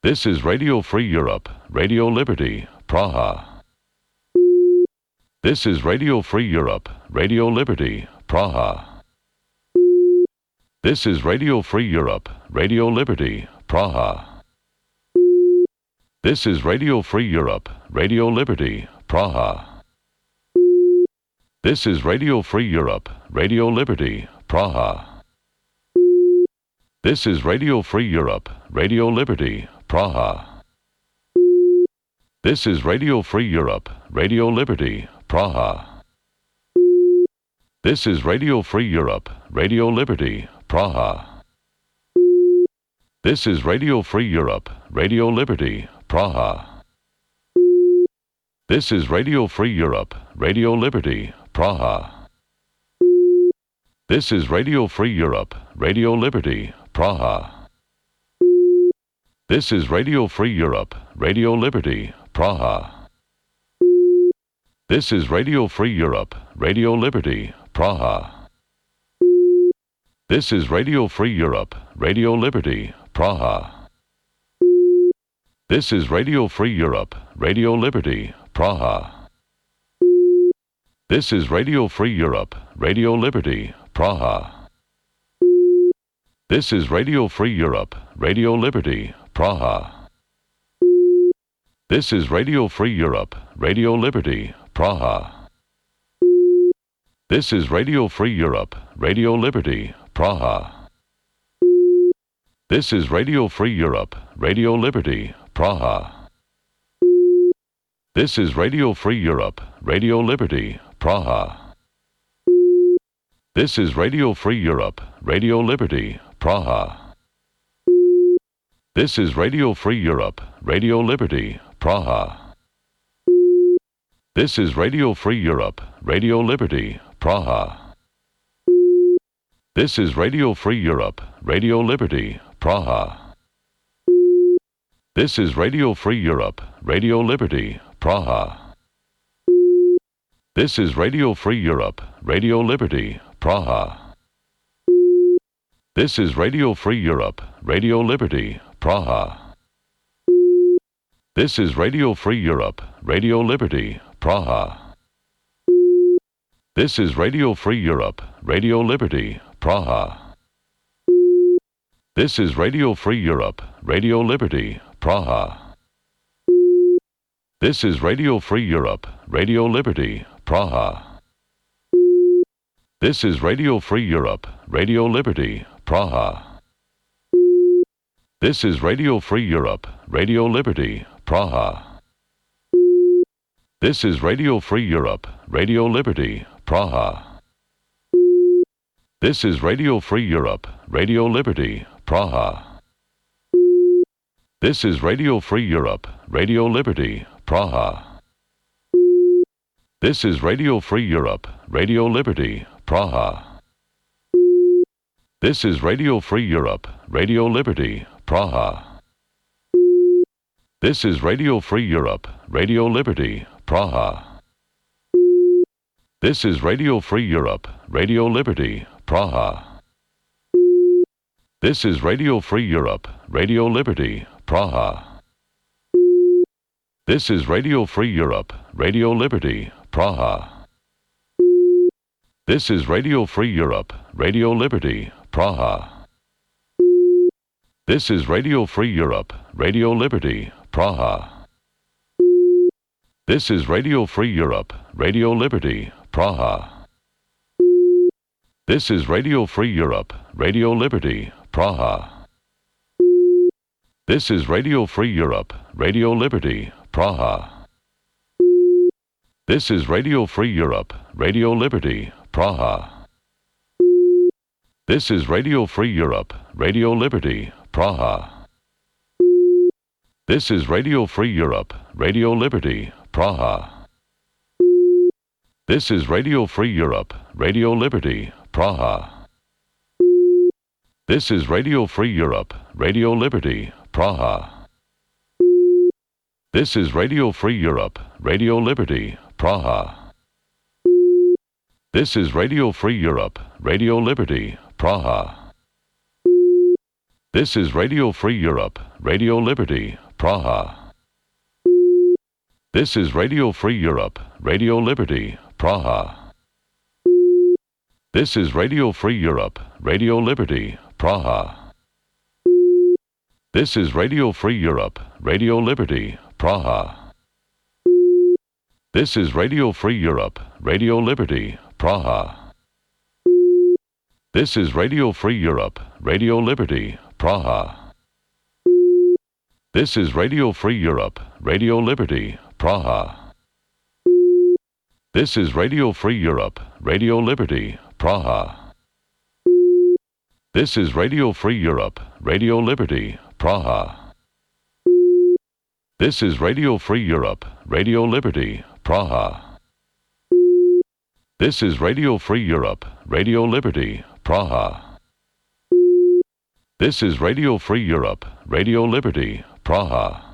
This is Radio Free Europe, Radio Liberty, Praha. This is Radio Free Europe, Radio Liberty, Praha. This is Radio Free Europe, Radio Liberty, Praha. This is Radio Free Europe, Radio Liberty, Praha. This is Radio Free Europe, Radio Liberty, Praha. This is Radio Free Europe, Radio Liberty, Praha. This is Radio Free Europe, Radio Liberty, Praha. This is Radio Free Europe, Radio Liberty, Praha. This is Radio Free Europe, Radio Liberty, Praha. This is Radio Free Europe, Radio Liberty, Praha. This is Radio Free Europe, Radio Liberty, Praha. This is Radio Free Europe, Radio Liberty, Praha. This is Radio Free Europe, Radio Liberty, Praha. This is Radio Free Europe, Radio Liberty, Praha. This is Radio Free Europe, Radio Liberty, Praha. This is Radio Free Europe, Radio Liberty, Praha. This is Radio Free Europe, Radio Liberty, Praha. This is Radio Free Europe, Radio Liberty, Praha. This is Radio Free Europe, Radio Liberty, Praha. This is Radio Free Europe, Radio Liberty, Praha. This is Radio Free Europe, Radio Liberty, Praha. This is Radio Free Europe, Radio Liberty, Praha. This is Radio Free Europe, Radio Liberty, Praha. This is Radio Free Europe, Radio Liberty, Praha. This is Radio Free Europe, Radio Liberty, Praha. This is Radio Free Europe, Radio Liberty, Praha. This is Radio Free Europe, Radio Liberty, Praha. This is Radio Free Europe, Radio Liberty, Praha. This is Radio Free Europe, Radio Liberty, Praha. This is Radio Free Europe, Radio Liberty, Praha. This is Radio Free Europe, Radio Liberty, Praha. This is Radio Free Europe, Radio Liberty, Praha. This is Radio Free Europe, Radio Liberty, Praha. This is Radio Free Europe, Radio Liberty, Praha. This is Radio Free Europe, Radio Liberty, Praha. This is Radio Free Europe, Radio Liberty, Praha. This is Radio Free Europe, Radio Liberty, Praha. This is Radio Free Europe, Radio Liberty, Praha. This is Radio Free Europe, Radio Liberty, Praha. This is Radio Free Europe, Radio Liberty, Praha. This is Radio Free Europe, Radio Liberty, Praha. This is Radio Free Europe, Radio Liberty, Praha. This is Radio Free Europe, Radio Liberty, Praha. This is Radio Free Europe, Radio Liberty, Praha. This is Radio Free Europe, Radio Liberty, Praha. This is Radio Free Europe, Radio Liberty, Praha. This is Radio Free Europe, Radio Liberty, Praha. This is Radio Free Europe, Radio Liberty, Praha. This is Radio Free Europe, Radio Liberty, Praha. This is Radio Free Europe, Radio Liberty, Praha. This is Radio Free Europe, Radio Liberty, Praha. This is Radio Free Europe, Radio Liberty, Praha. This is Radio Free Europe, Radio Liberty, Praha. This is Radio Free Europe, Radio Liberty, Praha. This is Radio Free Europe, Radio Liberty, Praha. This is Radio Free Europe, Radio Liberty, Praha. This is Radio Free Europe, Radio Liberty, Praha. This is Radio Free Europe, Radio Liberty, Praha. This is Radio Free Europe, Radio Liberty, Praha. This is Radio Free Europe, Radio Liberty, Praha. This is Radio Free Europe, Radio Liberty, Praha. This is Radio Free Europe, Radio Liberty, Praha. This is Radio Free Europe, Radio Liberty, Praha. This is Radio Free Europe, Radio Liberty, Praha. This is Radio Free Europe, Radio Liberty, Praha. This is Radio Free Europe, Radio Liberty, Praha. This is Radio Free Europe, Radio Liberty, Praha.